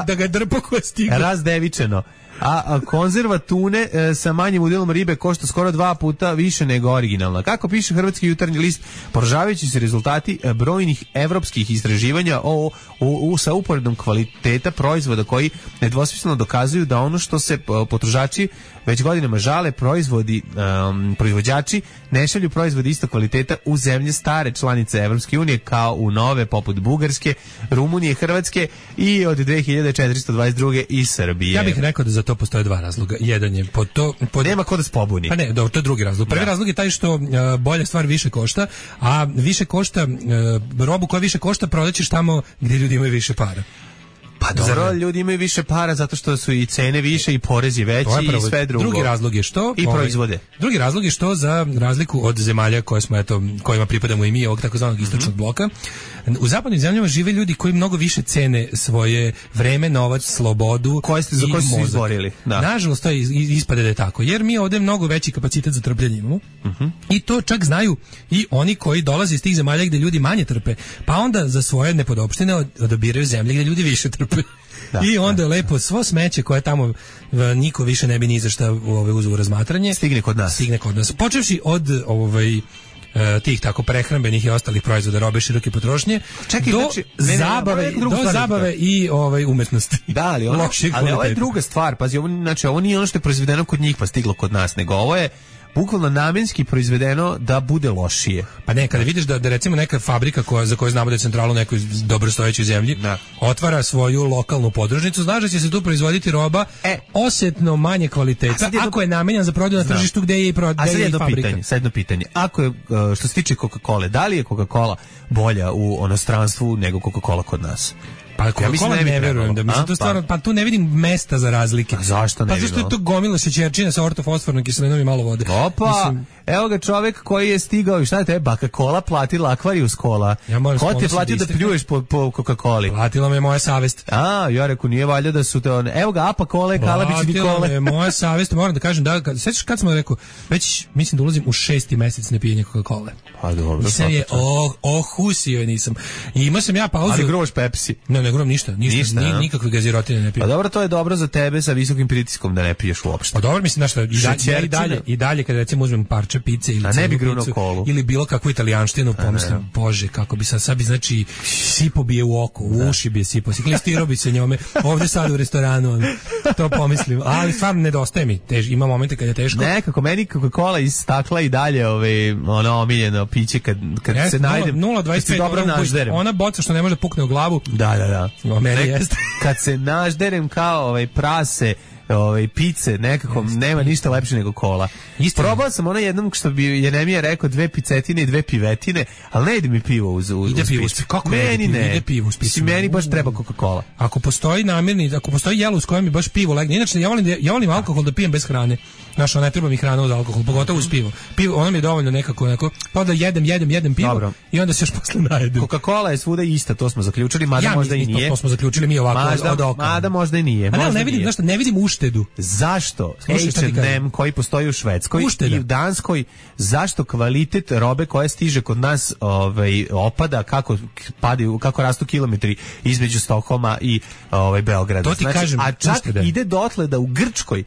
da ga drpo koja stiga.
Razdevičeno. A konzerva tune sa manjim udjelom ribe košta skoro 2 puta više nego originalna. Kako piše Hrvatski jutarnji list, poražavajući se rezultati brojnih evropskih istraživanja sa uporedom kvaliteta proizvoda koji nedvosmisleno dokazuju da ono što se potrošači već godinama žale, proizvođači ne šalju proizvodi isto kvaliteta u zemlje stare članice Evropske unije kao u nove poput Bugarske, Rumunije, Hrvatske i od 2422. i Srbije.
Ja bih rekao da za to postoje dva razloga. Jedan je
nema ko da se pobuni.
Pa ne, to je drugi razlog. Prvi razlog je taj što bolja stvar više košta, a više košta robu koja više košta prodaćeš tamo gdje ljudi imaju više para.
Pa dobro, ljudi imaju više para zato što su i cene više i porezi veći i sve drugo.
Drugi razlog je što
i proizvode.
Drugi razlog je što za razliku od zemalja koje smo kojima pripadamo i mi, ovog takozvanog istočnog bloka, u zapadnim zemljama žive ljudi koji mnogo više cene svoje vreme, novac, slobodu
za koje su se izborili.
Nažalost, to ispade da je tako, jer mi ovdje mnogo veći kapacitet za trpljenje imamo. I to čak znaju i oni koji dolaze iz tih zemalja gdje ljudi manje trpe, pa onda za svoje nepodopštine odabiraju zemlje gdje ljudi više trpe. I onda je lepo svo smeće koje tamo niko više ne bi ni za šta uzeo u razmatranje
stigne kod nas.
Počevši od tih tako prehrambenih i ostalih proizvoda robe široke potrošnje do zabave i umetnosti.
Da, ali ovo je druga stvar. Pazi, ovo nije ono što je proizvedeno kod njih pa stiglo kod nas, nego ovo je bukvalno namjenski proizvedeno da bude lošije.
Pa ne, kada vidiš da recimo neka fabrika za koju znamo da je centralno u nekoj dobrostojećoj zemlji otvara svoju lokalnu podružnicu, znaš da će se tu proizvoditi roba osjetno manje kvaliteta, ako je namenjan za prodaju na tržištu gdje je i fabrika.
Sad jedno pitanje. Ako je, što se tiče Coca-Cola, da li je Coca-Cola bolja u inostranstvu nego Coca-Cola kod nas?
Pa Coca-Cola ne verujem, to stvarno, pa tu ne vidim mesta za razlike.
Zašto ne vidim?
Pa zašto je to gomila šećerčina sa ortofosfornom kiselinom i malo vode.
Opa, evo ga čovjek koji je stigao i šta je tebe, Coca-Cola platila Aquarius Cola. Ko ti je platio da pljuješ po Coca-Coli?
Platila me moja savest.
Ja reku, nije valjda da su te evo ga Apa Kole, Kalabić Nikole.
Platila me moja savest, moram da kažem, sećaš kad smo rekao, već mislim da ulazim u 6. mesec nepijenja Coca-Cole.
Pa dobro.
Nisam je, ohusio je nisam. I imao sam ja pauzu.
Ali groš Pepsi.
Ne, ne guram ništa, nikakve gazirotine ne pijem.
Pa dobro, to je dobro za tebe sa visokim pritiskom da ne piješ uopšte.
Pa dobro, mislim, znaš šta, i dalje kad recimo uzmem parče pice ili
ne bi grunuo kolu
ili bilo kakvu italijanštinu, pomislim, bože, kako bi sad bi, znači, sipo bi je u oko, u uši bi je sipo, klistiro bi se njome, ovde sad u restoranu, to pomislim, ali stvarno nedostaje mi, ima momente kad je teško.
Nekako, meni Coca-Cola iz stakla i dalje ono omiljeno piće kad se najdem,
0,25, ona boca što ne može pukne u glavu.
Da.
Meni jeste.
Kad se nažderem kao prase, pice, nekako nema ništa lepše nego kola. Probao sam ono jednom što bi Jenemija rekao 2 picetine i 2 pivetine, ali ne ide mi pivo uz picu.
Kako
meni ne?
Ide pivo uz picu.
Meni baš treba Coca-Cola.
Ako postoji ako postoji jelo uz koje mi baš pivo legne. Inače, ja volim alkohol da pijem bez hrane. Znaš, ne treba mi hrana uz alkohol, pogotovo uz pivo. Pivo, ono mi je dovoljno nekako, pa da jedem pivo. Dobro. I onda se još posle najedem.
Coca-Cola je svuda ista, to smo zaključili, mada možda i nije.
To smo zaključili mi ovako od oka.
Mada možda i nije.
Ne vidim uštedu.
Zašto H&M koji postoji u Švedskoj i u Danskoj, zašto kvalitet robe koja stiže kod nas opada, kako rastu kilometri između Stokholma i Beograda.
To ti kažem,
a čak ide dotle da u Grčkoj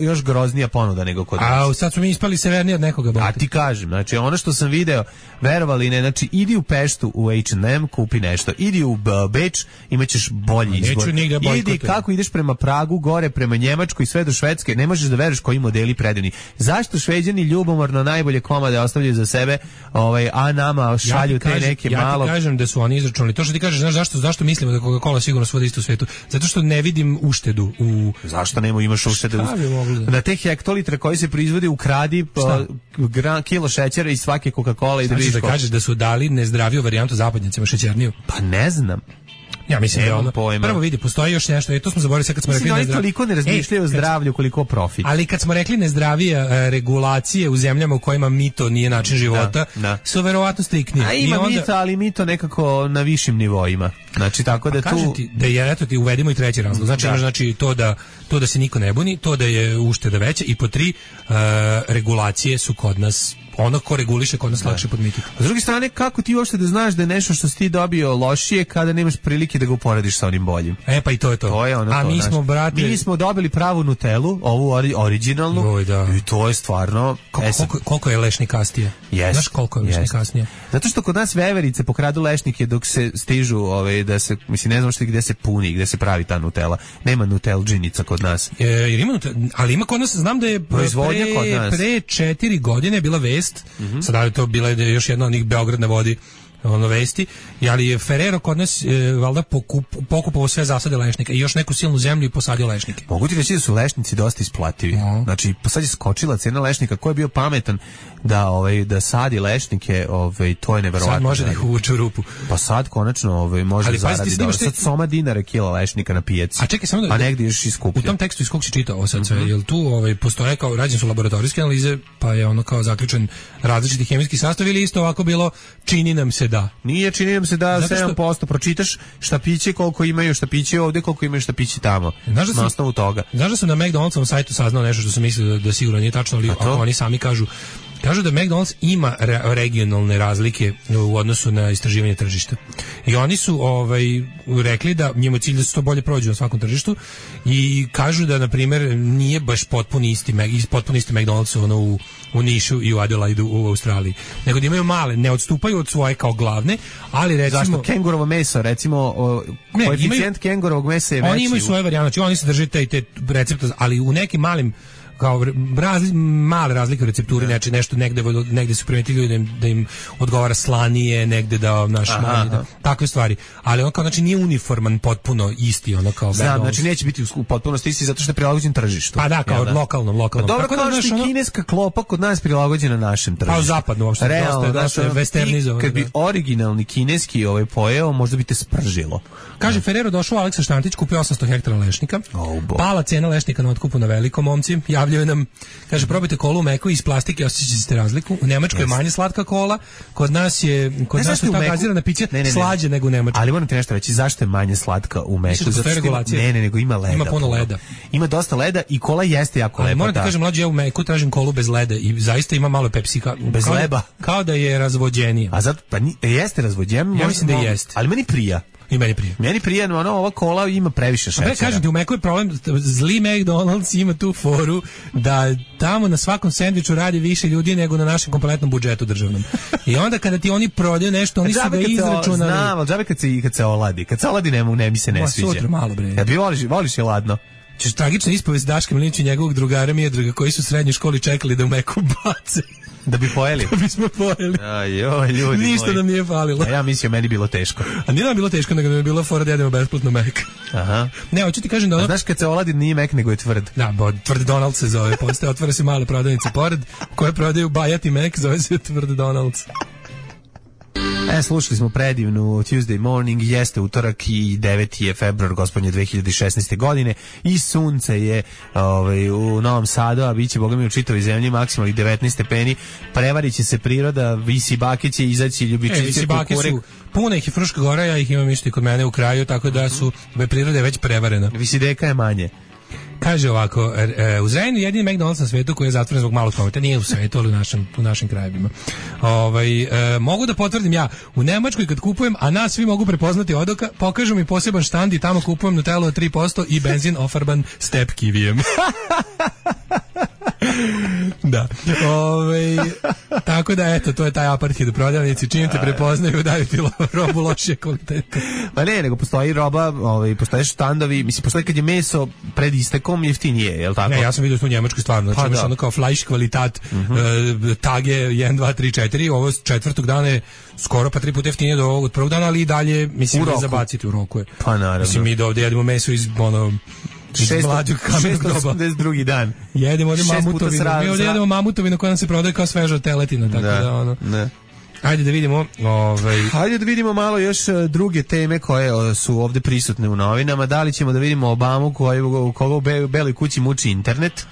još groznija ponuda nego kod nas.
A sad smo mi ispali severniji od nekoga.
A ti kažem, znači ono što sam video, verovali ne, znači idi u Peštu u H&M, kupi nešto, idi u Beč, imaćeš bolji izbor. Idi kako ideš prema Pragu, gore prema Njemačkoj i sve do Švedske, ne možeš da veruješ koji modeli predivni. Zašto Šveđani ljubomorno najbolje komade ostavljaju za sebe, a nama šalju te neke malo...
Ja ti kažem da su oni izračunali. To što ti kažeš, znaš zašto mislimo da Coca-Cola sigurno svuda isto u svetu? Zato što ne vidim uštedu u...
Zašto imaš uštedu? Na te hektolitre koji se proizvode ukradi kilo šećera iz svake Coca-Cola i da vidiš.
Da kažeš da su dali nezdraviju varijantu zapadnjacima šećerniju?
Pa ne znam.
Ja mislim da ono, prvo vidi, postoji još nešto, to smo zaboravili sad kad smo rekli
nezdravije. Toliko ne razmišljaju o zdravlju koliko profit.
Ali kad smo rekli nezdravije regulacije u zemljama u kojima mito nije način života, su verovatno striktnije.
A ima mito, ali mito nekako na višim nivoima. Znači tako da tu...
Kažem ti da je, eto ti uvedimo i treći razlog. Znači to da se niko ne buni, to da je ušteda veća i po 3 regulacije su kod nas ono ko reguliše kod nas lakše podmititi.
S druge strane, kako ti uopšte da znaš da je nešto što si ti dobio lošije kada nemaš prilike da ga uporediš sa onim boljim?
Pa i to je to.
To je ono.
A mi smo, brate...
Mi smo dobili pravu Nutellu, ovu originalnu, i to je stvarno...
Koliko je lešnikastije? Znaš koliko je lešnikastije?
Zato što kod nas veverice pokradu lešnike dok se stižu, da se, mislim, ne znam što gde se puni, gde se pravi ta Nutella. Nema Nutelldžinica kod nas.
Jer ima ali ima kod nas, znam da je pre 4 godine bila vest. Sada je to bila još jedna od njih Beograd na vodi vesti, ali je Ferrero kod nas valjda pokupovao sve zasade lešnika i još neku silnu zemlju i posadio lešnike.
Mogu ti reći da su lešnici dosta isplativi. Znači, sad je skočila cena lešnika, ko je bio pametan da sadi lešnike, to je neverovatno.
Sad može da ih uvuče u rupu.
Pa sad konačno može zaraditi dobro. Sad soma dinara kila lešnika na pijaci.
A čekaj, samo da...
A negdje još iskuplja.
U tom tekstu iz kog si čitao ovo sad sve, jel tu postoje kao, rađene su laboratorijske analize, pa je ono kao zaključen različiti hemijski sastav ili isto ovako bilo, čini nam se da.
Nije, čini nam se da 7% pročitaš štapiće koliko imaju štapiće ovdje, koliko imaju štapiće tamo. Na osnovu toga.
Znaš da sam na McDonald'sovom sajtu saznao nešto što sam mislio da sigurno nije tačno, ali oni sami kažu da McDonald's ima regionalne razlike u odnosu na istraživanje tržišta. I oni su rekli da njemu je cilj da se to bolje prođe na svakom tržištu i kažu da, na primjer, nije baš potpuno isti McDonald's u Nišu i u Adelaidu u Australiji. Nego da imaju male, ne odstupaju od svoje kao glavne, ali recimo...
Zašto? Kengurovo meso, recimo, koeficijent kengurovog mesa je veći.
Oni imaju svoje varijante, znači oni se drže te recepte, ali u nekim malim kao male razlike u recepturi, znači nešto negde su primetili da im odgovara slanije, negde da takve stvari. Ali on kao, znači, nije uniforman potpuno isti, ono kao...
Znam, znači neće biti u potpunosti isti zato što je prilagođen tržištu.
Pa da, kao lokalnom.
Pa dobro, kao što je kineska klopa kod nas prilagođena našem tržištu.
Pa zapadno uopšte, dosta westernizovano.
Kad bi originalni kineski pojeo, možda bi te spržilo.
Kaže, Ferrero došao Aleksa Štantić, kupio 800 hektara lešnika, pala cena lešnika na otkupu na velikom, momci, javljaju nam, kaže, probajte kolu u mekoj iz plastike, osjećate razliku. U Nemačkoj je manje slatka kola, kod nas su ta gazirana pića slađe nego u Nemačkoj.
Ali moram ti nešto reći, zašto je manje slatka u meku? Ne, nego ima leda.
Ima puno leda.
Ima dosta leda i kola jeste jako lepa.
Moram ti kažem, mlađe, ja u meku tražim kolu bez leda i zaista ima malo pepsika.
Bez leba.
Kao da je razvođenija.
A zato, pa jeste razvođenija?
Ja mislim da jeste.
Ali meni prija.
I meni prije.
Meni prije, ova kola ima previše šećera.
Kažem ti, u Meku je problem, zli McDonald's ima tu foru da tamo na svakom sendviču radi više ljudi nego na našem kompletnom budžetu državnom. I onda kada ti oni prodaju nešto, oni su ga izračunali.
Znam, ali džabe kad se oladi. Kad se oladi ne mi se ne sviđa.
Sutra malo, bre.
Kad voliš je ladno.
Tragična ispovest Daška Milinića i njegovog drugara Miodraga koji su u srednjoj školi čekali da u Meku bace.
Da bi pojeli?
Da bismo pojeli.
Ajoj, ljudi
ništa
moji.
Nam nije falilo.
A ja mislio, meni bilo teško.
A nije nam bilo teško, nego nam je bilo fora da jedemo besplatno Mek.
Aha.
Ne, hoću ti kažem da ono...
A znaš kad se oladi nije Mek, nego je tvrd.
Da, tvrd Donald se zove. Postoje, otvara se male prodavnice pored koje prodaju bajati Mek, zove se tvrd Donald's.
Slušali smo predivnu Tuesday Morning, jeste utorak i 9. je februar gospodnje 2016. godine i sunce je u Novom Sadu, a bit će bogami u čitavoj zemlji maksimalnih 19 stepeni, prevarit će se priroda, visi bake će izaći ljubičice.
Visi bake su, puno ih je Fruška Gora, ja ih imam isto i kod mene u kraju, tako da su priroda je već prevarena.
Visideka je manje.
Kaže ovako, u Zrenjaninu jedini McDonald's na svetu koji je zatvoren zbog malog prometa, nije u svetu, ali u našim krajevima. Mogu da potvrdim ja, u Nemačkoj kad kupujem, a nas svi mogu prepoznati odoka, pokažu mi poseban štand i tamo kupujem Nutellu od 3% i benzin ofarban step kivijem. Da. Tako da, eto, to je taj apartheid u prodavnici, čim te prepoznaju, daju ti robu lošije kvaliteta.
Pa ne, nego postoji roba, postoje štandovi, mislim, postoji kad je meso pred istekom jeftinije, je li tako?
Ne, ja sam vidio u Njemačkoj stvarno, znači imaš ono kao fleisch kvalitat, tage 1, 2, 3, 4, ovo četvrtog dana je skoro pa 3 puta jeftinije do ovog od prvog dana, ali i dalje, mislim, da zabaciti u roku je.
Pa naravno.
Mislim, mi da ovdje jedemo meso iz,
682. dan.
Jedemo ovdje mamutovinu. Mi ovdje jedemo mamutovinu koja nam se prodaje kao sveža teletina, tako da ono. Ne. Ajde da vidimo,
Ajde da vidimo malo još druge teme koje su ovdje prisutne u novinama. Da li ćemo da vidimo Obamu koga u Beloj kući muči internet?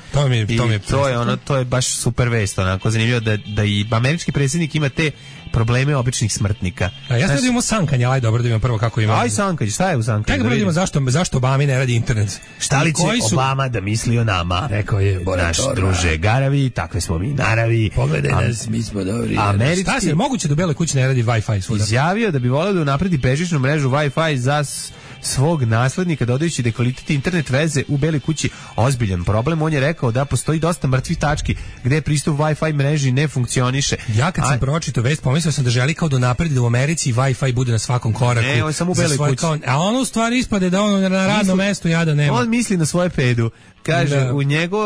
To je baš super vest, onako zanimljivo da i američki predsjednik ima te probleme običnih smrtnika.
Ja sad imamo sankanje, ajde dobro da vidimo prvo kako ima.
Aj sankanje, šta je u sankanju?
Kako da vidimo zašto Obami ne radi internet?
Šta li će Obama da misli o nama?
Rekao je,
naš druže Garavi, takve smo mi naravi.
Pogledaj nas, mi smo dobri.
Šta
se, moguće da u Beloj kući ne radi Wi-Fi svuda?
Izjavio da bi voleo da unapredi bežičnu mrežu Wi-Fi za svog naslednika, dodajući da je kvalitet internet veze u Beloj kući ozbiljan problem. On je rekao da postoji dosta mrtvih tački gde pristup Wi-Fi mreži ne funkcioniše.
Ja kad sam pročitao vest, pomislio sam da želi kao da napredi da u Americi Wi-Fi bude na svakom koraku.
Ne, on je samo u Beloj kući.
A ono u stvari ispade da ono na radnom mestu jada nema.
On misli na svoje pedu. Kaže,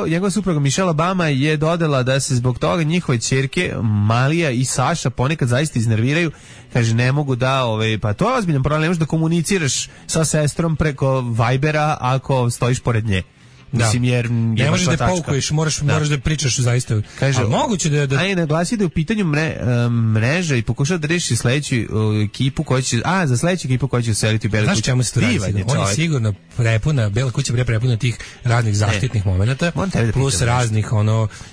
njegova supruga Michelle Obama je dodala da se zbog toga njihove ćerke Malija i Saša ponekad zaista iznerviraju. Kaže, ne mogu da, pa to je ozbiljan problem, ne možeš da komuniciraš sa sestrom preko Vibera ako stojiš pored nje. Mislim, jer
ne možeš da paukuješ, moraš da pričaš zaista.
Kaže,
moguće da
aj naglasi da je u pitanju mreža i pokušao da reši sledeću ekipu koja će za sledeću ekipu koja će useliti u Belu kuću.
Znaš čemu se to radi? On je sigurno prepuna, Bela kuća prepuna tih raznih zaštitnih momenata, plus raznih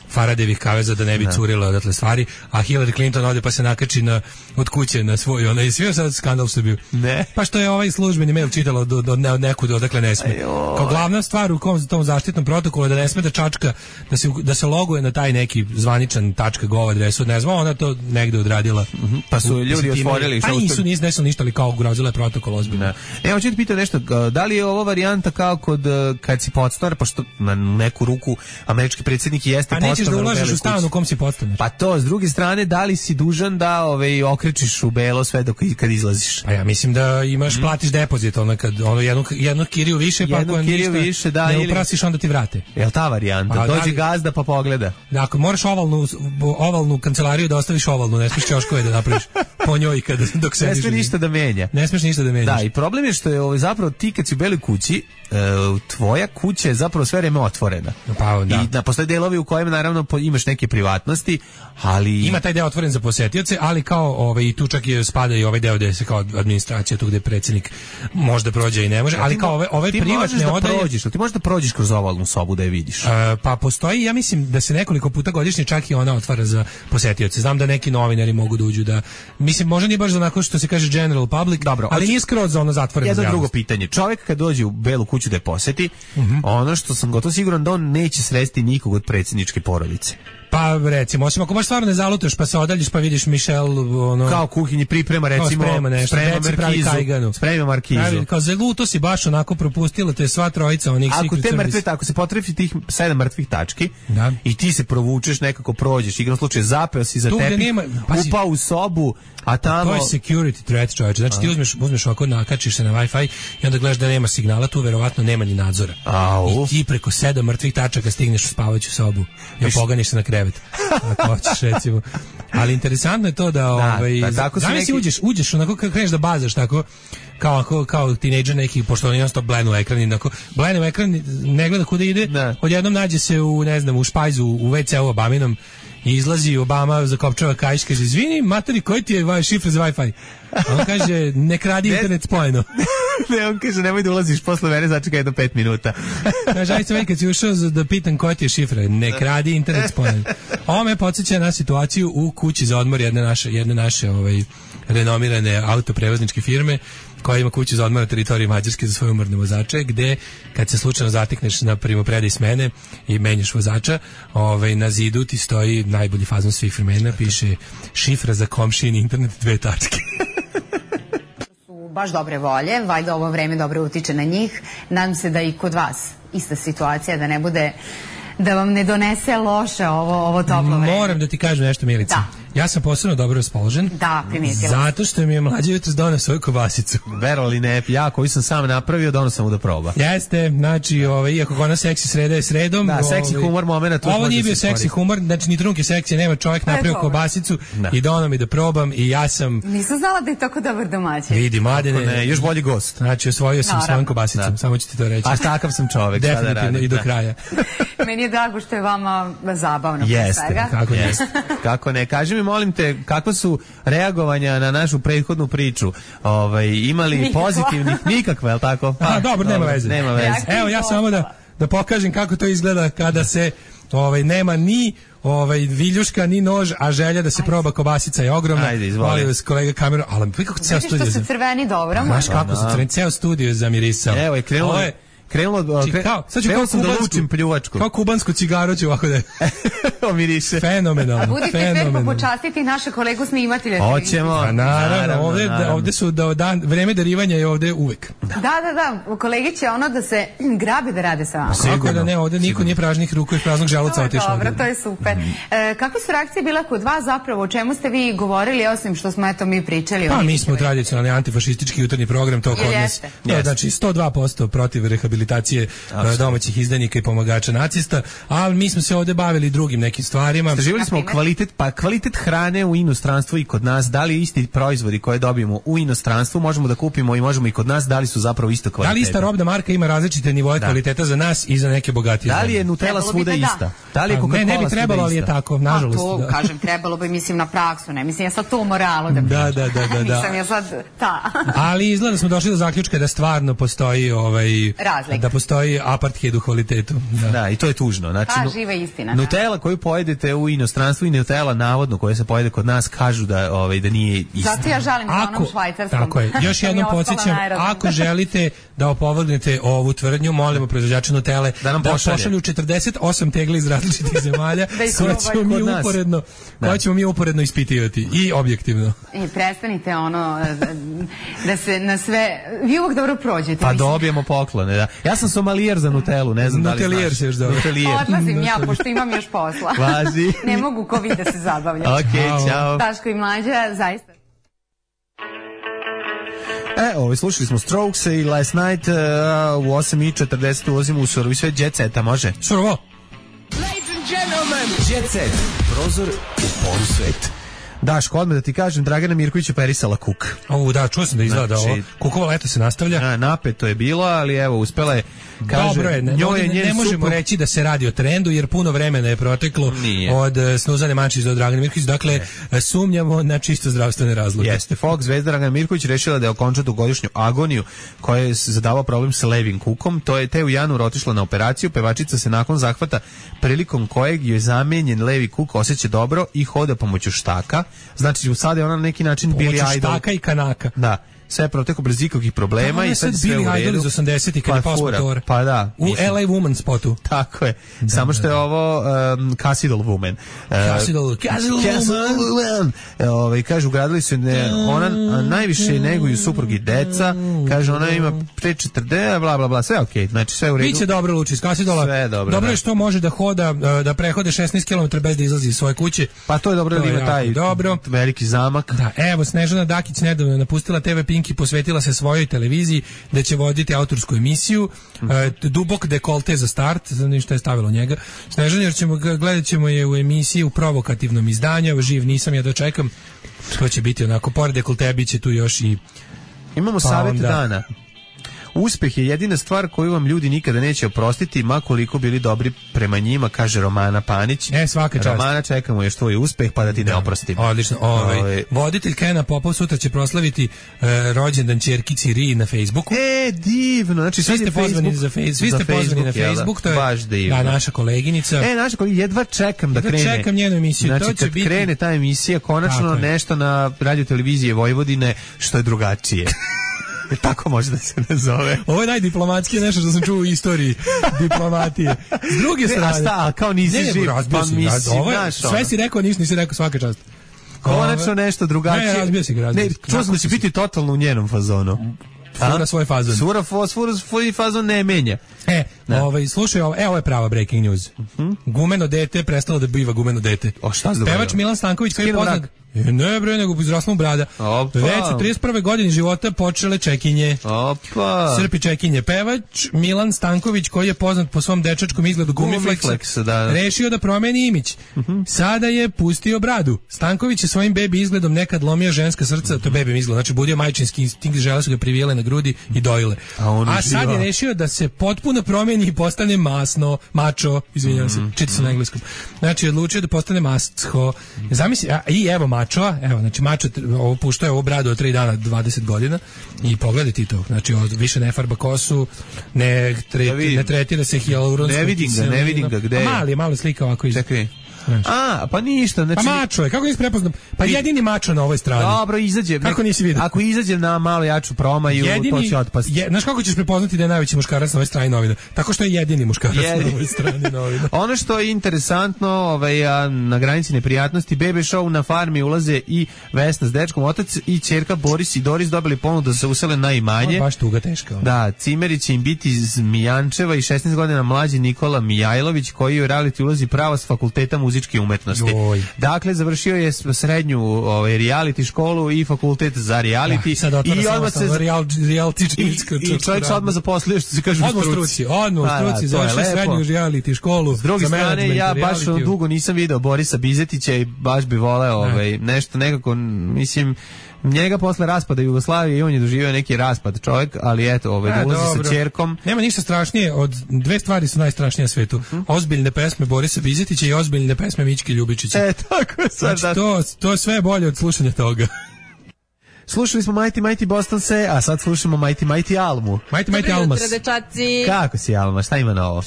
Faradevih kaveza da ne bi curila odatle stvari, a Hillary Clinton ode pa se nakači od kuće na svoj, i svi sad skandal što bio.
Ne.
Pa što je ovaj službeni mail čitala od nekud odakle ne sme. Kao glavna stvar u tom zaštitnom protokolu da ne sme da čačka, da se loguje na taj neki zvaničan .gov adresu, ne znam, ona to negde odradila.
Pa su ljudi otvorili.
Pa nisu ništa, ali kao ugrozila je protokol ozbiljno.
Evo ću ti pitati nešto, da li je ovo varijanta kao kad si podstanar, pošto na neku ruku američki predsjednik jeste podstanar
da ulažeš u stan u kom si podstanar.
Pa to, s druge strane, da li si dužan da okrečiš u belo sve kad izlaziš?
Pa ja mislim da platiš depozit, jednu kiriju više, pa ako ništa ne uprasiš, onda ti vrate.
Jel ta varijanta? Dođe gazda pa pogleda.
Dakle, moraš ovalnu kancelariju da ostaviš ovalnu, ne smiješ ćoškove da napraviš po njoj dok sediš.
Ne smiješ ništa da menja.
Ne smiješ ništa da menjaš.
Da, i problem je što je zapravo ti kad si u Beloj kući, tvoja kuća je zapravo sve vreme otvorena.
Pa, da.
I postoje delovi u kojem naravno imaš neke privatnosti, ali
ima taj deo otvoren za posetioce, ali kao i tu čak spada i ovaj deo gde se kao administracija, tu gde predsjednik možda prođe i ne može, ali kao ove privatne odaje.
Ti možeš da prođeš kroz ovalnu sobu da je vidiš.
Pa postoji, ja mislim da se nekoliko puta godišnje čak i ona otvara za posetioce. Znam da neki novinari mogu da uđu mislim, možda nije baš za onako što se kaže general public,
dobro,
ali nije skroz za ono zatvoreno za javnost.
Jedno drugo pitanje. Čovjek kad dođe u Belu kuću da je poseti, ono što sam gotovo siguran da on neće sresti nikog od predsjedničke porodice.
Pa recimo, osim ako baš stvarno ne zalutaš pa se odaljiš pa vidiš Michelle ono
kao kuhinji priprema recimo sprema markizu.
Kao zaluto si baš onako propustila te sva trojica onih
ako te mrtve tako se potrefi tih 7 mrtvih tački i ti se provučeš nekako prođeš igrom slučaju zapeo si za tepih upao u sobu a tamo
to je security threat čoveče znači ti uzmeš ovako nakačiš se na Wi-Fi i onda gledaš da nema signala tu verovatno nema ni nadzora i ti preko 7 mrtvih tačaka stigneš u spavaću sobu i poganiš se na krevet ako hoćeš recimo ali interesantno je to da zamisli uđeš onako kad kreneš da bazaš tako kao tinejdžer neki, pošto on jednostavno blenu ekran, ne gleda kuda ide, odjednom nađe se u, ne znam, u špajzu, u WC-u Obaminom i izlazi Obama, zakopčava kaiš, kaže, izvini, materi, koji ti je šifra za Wi-Fi? A on kaže, ne kradi internet spojeno.
Ne, on kaže, nemoj da ulaziš posle mene, začekaj jedno 5 minuta.
Kaže, ajde se kad si ušao da pitam koja ti je šifra, ne kradi internet spojeno. Ovo me podsjeća na situaciju u kući za odmor jedne naše renomirane autoprevozničke firme koja ima kuću za odmor na teritoriji Mađarske za svoje umorne vozače, gde kad se slučajno zatekneš na primopredaji smene i menjaš vozača, na zidu ti stoji najbolji fazon svih vremena, piše šifra za komšijin internet 2 tačke.
Su baš dobre volje, valjda ovo vreme dobro utiče na njih. Nadam se da i kod vas ista situacija, da ne bude da vam ne donese loše ovo toplo vreme.
Moram da ti kažem nešto, Milica.
Da.
Ja sam posebno dobro raspoložen.
Da, primijetila.
Zato što mi je mlađi jutros doneo svoju kobasicu.
Verovali ne, ja koju sam sam napravio, doneo sam mu da proba.
Jeste, znači, iako ona seksi sreda je sredom.
Da, seksi humor momenta.
Ovo nije bio seksi humor, znači ni trunke seksije nema, čovjek napravio kobasicu i doneo mi da probam i ja sam...
Nisam znala da je tako dobar domaćin.
Vidi, Mladene.
Još bolji gost.
Znači, osvojio sam svojom kobasicom, samo ću ti to reći.
A takav sam čovjek.
Definitivno i do kraja.
Meni je drago što je vama zabavno.
Jeste, kako ne. Kaži mi, molim te, kakva su reagovanja na našu prethodnu priču? Imali pozitivnih nikakve, je li tako?
Dobro, nema veze. Evo, ja samo da pokažem kako to izgleda kada se nema ni viljuška, ni nož, a želja da se proba kobasica je ogromna.
Ajde, izvoli.
Molim vas, kolega kameru, ali kako ceo studio...
Vidiš što su crveni dobro?
Znaš kako su crveni, ceo studio je zamirisao.
Evo je krenulo sam da lučim pljuvačku.
Kao kubansku cigaru ću ovako da
omiriše.
Fenomenalno.
Budite fer počastiti naše kolegu snimatelja.
Hoćemo.
Naravno, ovde su vreme darivanja je ovde uvek.
Da, kolegi će da se grabi da rade sa vama.
Kako da ne, ovde niko nije pražnih ruku i praznog želuca otišao.
Dobro, to je super. Kakve su reakcije bile kod vas zapravo? O čemu ste vi govorili, osim što smo mi pričali?
Pa mi smo tradicionalni antifašistički jutarnji program, to kod nas. Znači 102% protiv rehabilitacije domaćih izdajnika i pomagača nacista, ali mi smo se ovde bavili drugim nekim stvarima.
Istraživali smo kvalitet hrane u inostranstvu i kod nas, da li isti proizvodi koje dobijemo u inostranstvu možemo da kupimo i možemo i kod nas, da li su zapravo isto kvaliteta.
Da li ista robna marka ima različite nivoe kvaliteta za nas i za neke bogatije.
Da li je Nutella svuda ista? Da li je Coca-Cola
ne bi trebalo, ali je tako, nažalost.
To, kažem, trebalo bi, mislim, na praksu, ne mislim ja sad to u moralu da
pričam.
Nisam ja sad
ali izgleda da smo došli do zaključka da stvarno postoji da postoji apartheid u kvalitetu.
Da, i to je tužno. Znači,
živa istina.
Nutella koju pojedete u inostranstvu i Nutella navodno koja se pojede kod nas kažu da nije istina.
Zato ja žalim za onom švajcarskom.
Tako je. Još jednom podsjećam, ako želite da opovrgnete ovu tvrdnju, molimo proizvođača Nutelle da pošalju 48 tegli iz različitih zemalja koje ćemo mi uporedno ispitivati i objektivno.
Prestanite da se na sve vi uvijek dobro prođete.
Pa dobijemo poklone, da. Ja sam somalijer za Nutellu, ne znam da li znaš.
Nutelijer se još dobro.
Odlazim ja, pošto imam još posla.
Važi.
Ne mogu ko vi da se zabavljam.
Ok, čao.
Daško i Mlađa, zaista.
Slušali smo Strokes i Last Night u 8:40 ulazimo u surovi svet Jet Seta, može?
Surovo.
Ladies and gentlemen,
Jet Set, prozor u polusvet.
Daško, odmah da ti kažem, Dragana Mirković je perisala kuk.
Da, čuo sam da izgleda ovo. Kukovo leto se nastavlja.
Napeto je bilo, ali evo, uspela je, kaže...
Dobro je, ne možemo reći da se radi o trendu, jer puno vremena je proteklo od Snuzane Mančić do Dragane Mirković, dakle, sumnjamo na čisto zdravstvene razloge.
Jeste, folk zvezda Dragana Mirković rešila da je okonča dugogodišnju agoniju koja je zadavao problem sa levim kukom, te u januaru otišla na operaciju, pevačica se nakon zahvata prilikom kojeg je zamenjen levi kuk osjeća dobro i hoda pomoću štaka. Znači, sad je ona na neki način Billy Idol.
Štaka i kanaka.
Da. sve proteklo bez ikakvih problema i sad sve u redu.
Billy Idol iz 80-ih kad je pao s motora.
Pa da.
U LA Woman spotu.
Tako je. Samo što je ovo Cassidal Woman.
Cassidal
Woman. Kaže, ugradili su ona najviše neguju suprugi deca. Kaže, ona ima pre 40, bla, bla, bla. Sve okej. Znači, sve u redu.
Biće dobro, Luči, iz Cassidala.
Sve dobro.
Dobro je što može da hoda, da prehode 16 km bez da izlazi iz svoje kuće.
Pa to je dobro da ima taj veliki zamak.
Da, evo, Snežana Dakić nedavno napustila TV Pink i posvetila se svojoj televiziji da će voditi autorsku emisiju. Dubok dekolte za start, ništa je stavilo njega. Snežana, jer gledat ćemo je u emisiji u provokativnom izdanju, živ nisam, ja dočekam. To će biti onako, pored dekolte, bit će tu još i...
Imamo savjet dana. Uspeh je jedina stvar koju vam ljudi nikada neće oprostiti, ma koliko bili dobri prema njima, kaže Romana Panić.
Svaka čast.
Romana, čekamo još tvoj uspeh, pa da ti ne oprostimo.
Odlično. Voditelj Kena Popov sutra će proslaviti rođendan ćerkici Ri na Facebooku.
Divno. Znači,
svi ste pozvani na Facebook. To je
baš divno.
Naša koleginica.
Naša koleginica, jedva čekam da krene.
Čekam njenu emisiju.
Znači,
to će
kad krene ta emisija, konačno nešto na radioteleviziji Vojvodine što je drugačije. Tako može da se nazove.
Ovo je najdiplomatski nešto što sam čuo u istoriji diplomatije. S druge strane...
A kao nisi živ, pa mislim,
sve si rekao, nisi rekao, svaka čast.
Konačno nešto drugačije.
Ne, razbio si ga.
Čuo sam da će biti totalno u njenom fazonu.
Fura svoj fazon.
Svoj fazon ne menja.
Slušaj, ovo je prava breaking news. Gumeno dete prestalo da biva gumeno dete.
Šta se dogodilo?
Pevač Milan Stanković koji je poznat... Ne bre, nego izrasla mu brada. Već u 31. godini života počele čekinje. Srpi čekinje. Pevač Milan Stanković, koji je poznat po svom dečačkom izgledu Gumiflexa, rešio da promeni imidž. Sada je pustio bradu. Stanković je svojim bebi izgledom nekad lomio ženska srca, to je bebi izgled, znači budio majčinski instinkt, žele su ga privijele na grudi i dojile. A sad je rešio da se potpuno promeni i postane mačo, izvinjavam se, čita se na engleskom. Znači, odlučio da postane masco. Zamisli, i evo mačo, znači mačo puštao je ovu bradu od 3 dana, 20 godina i pogledaj ti to, znači više ne farba kosu, ne tretira se hialuronskom kiselinom.
Ne vidim ga, gde je?
Malo slika ovako iz...
Čekaj. Pa ništa. Znači...
Pa mačo je, kako nisi prepoznao? Pa jedini mačo na ovoj strani.
Dobro, izađe.
Kako nisi vidio?
Ako izađe na malo jaču promaju, to će otpasti.
Znaš kako ćeš prepoznati da je najveći muškarac na ovoj strani novina? Tako što je jedini muškarac na ovoj strani novina.
Ono što je interesantno, na granici neprijatnosti, Bebe Show na farmi ulaze i Vesna s dečkom, otac i ćerka Boris i Doris dobili ponudu da se usele na imanje.
Baš tuga teška.
Da, Cimeri će im biti iz Mijančeva i 16 godina mlađi Nikola Mijajlović, koji je u reality ulazi prava s fakulteta muzičke umetnosti. Dakle, završio je srednju reality školu i fakultet za reality. I odmah se i čovjek se odmah zaposlio, što se kaže,
u struci. Odmah u struci, završio srednju reality školu.
S druge strane, ja baš dugo nisam video Borisa Bizetića i baš bi voleo nešto nekako, mislim, njega posle raspada Jugoslavije i on je doživio neki raspad čovjek, ali eto, da ulazi sa ćerkom.
Nema ništa strašnije, od dve stvari su najstrašnije na svetu. Ozbiljne pesme Borisa Bizetića i ozbiljne pesme Mićke Ljubičića.
Tako je sad.
Znači, to je sve bolje od slušanja toga.
Slušali smo Mighty Boston Se, a sad slušamo Mighty Almu.
Mighty Almas.
Kako si, Alma? Šta ima novo?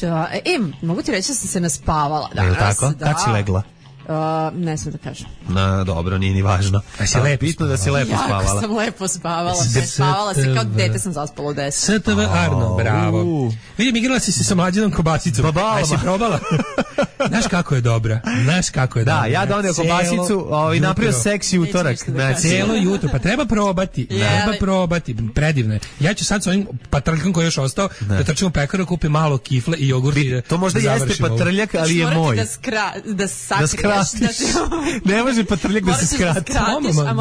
Mogu ti reći da sam se naspavala danas.
Tako? Kad si legla?
Ne smem da kažem.
Dobro, nije ni važno. Bitno da si lepo spavala.
Jako sam lepo spavala. Spavala se kao dete sam zaspala u 10.
STV Arno, bravo. Vidim, igrala si se sa mlađenom kobasicom. Aj si probala? Znaš kako je dobra.
Da, ja doneo kobasicu i napravio seksi utorak.
Cijelo jutro. Pa treba probati. Predivno je. Ja ću sad s ovim patrljkom koji je još ostao da trčim u pekaru, kupim malo kifle i jogurt.
To možda jeste patrljak, ali je moj.
Da sakriješ.
Ne može patrljak da se skrati.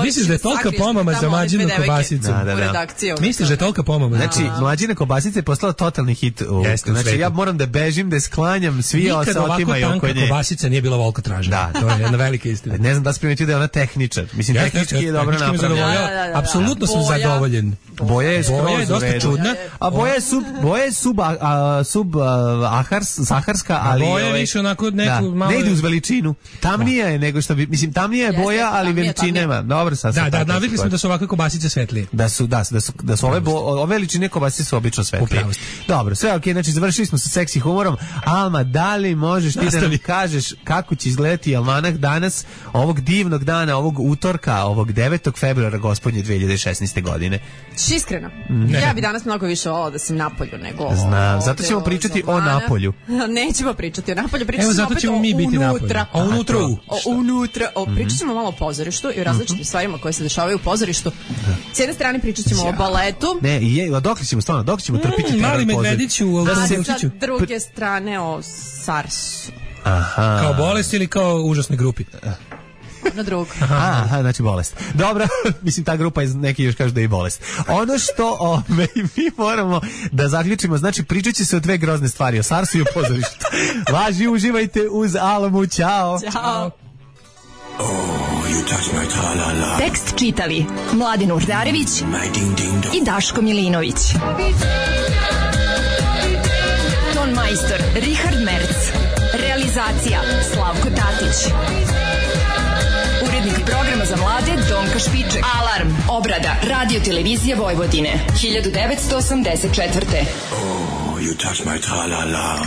Misliš da je tolika pomama za mlađinu kobasicu? Misliš da je tolika pomama?
Znači, mlađina kobasica je postala totalni hit. Znači, ja moram da bežim, da sklanjam svi se otimaju oko nje.
Nikad ovako tanka kobasica nije bila volko tražena.
Da.
To je jedna velika istina.
Ne znam da se primetio da je ona tehničar. Mislim, tehnički je dobro napravljena.
Apsolutno sam zadovoljen.
Boja je skroz
dosta čudna.
A boja je saharska, ali
boja je više onako neku malo...
Ne ide uz veličinu. Tamnija je nego što bi, mislim, tamnija je boja, ali veličine nema. Dobro, sad.
Da, navikli smo da su ovakve kobasice svetlije.
Da su ove veličine kobasice su obično svetlije. Dobro, sve okej, znači završili smo sa seksi humorom. Alma, da li možeš ti da nam kažeš kako će izgledati almanak danas, ovog divnog dana, ovog utorka, ovog 9. februara gospodnje 2016. godine.
Iskreno, ja bi danas mnogo više volala da sam napolju nego...
Znam, zato ćemo pričati o Napolju.
Nećemo pričati o Napolju, pričat ćemo
zato ćemo mi biti unutra.
Unutra. Pričat ćemo malo o pozorištu i o različitim stvarima koje se dešavaju u pozorištu. S jedne strane pričat ćemo o baletu.
Ne, dok ćemo stvarno, dok ćemo trpiti
Mali Medvediću u
Autobusiću. A sa druge strane o SARS-u.
Aha.
Kao bolest ili kao užasne grupi?
Na drugo.
Aha, znači bolest. Dobro, mislim ta grupa neki još kažu da je i bolest. Ono što mi moramo da zaključimo, znači pričat će se o dve grozne stvari, o SARS-u i o pozorištu. Važi, uživajte uz Alamu, ćao.
Ćao.
Tekst čitali Mladin Urdarević i Daško Milinović. Ton majstor Richard Merc. Realizacija Slavko Tatić. Urednik programa za mlade Donka Špiček. Alarm, obrada, radio televizija Vojvodine, 1984.
Oh, you touch my tra-la-la.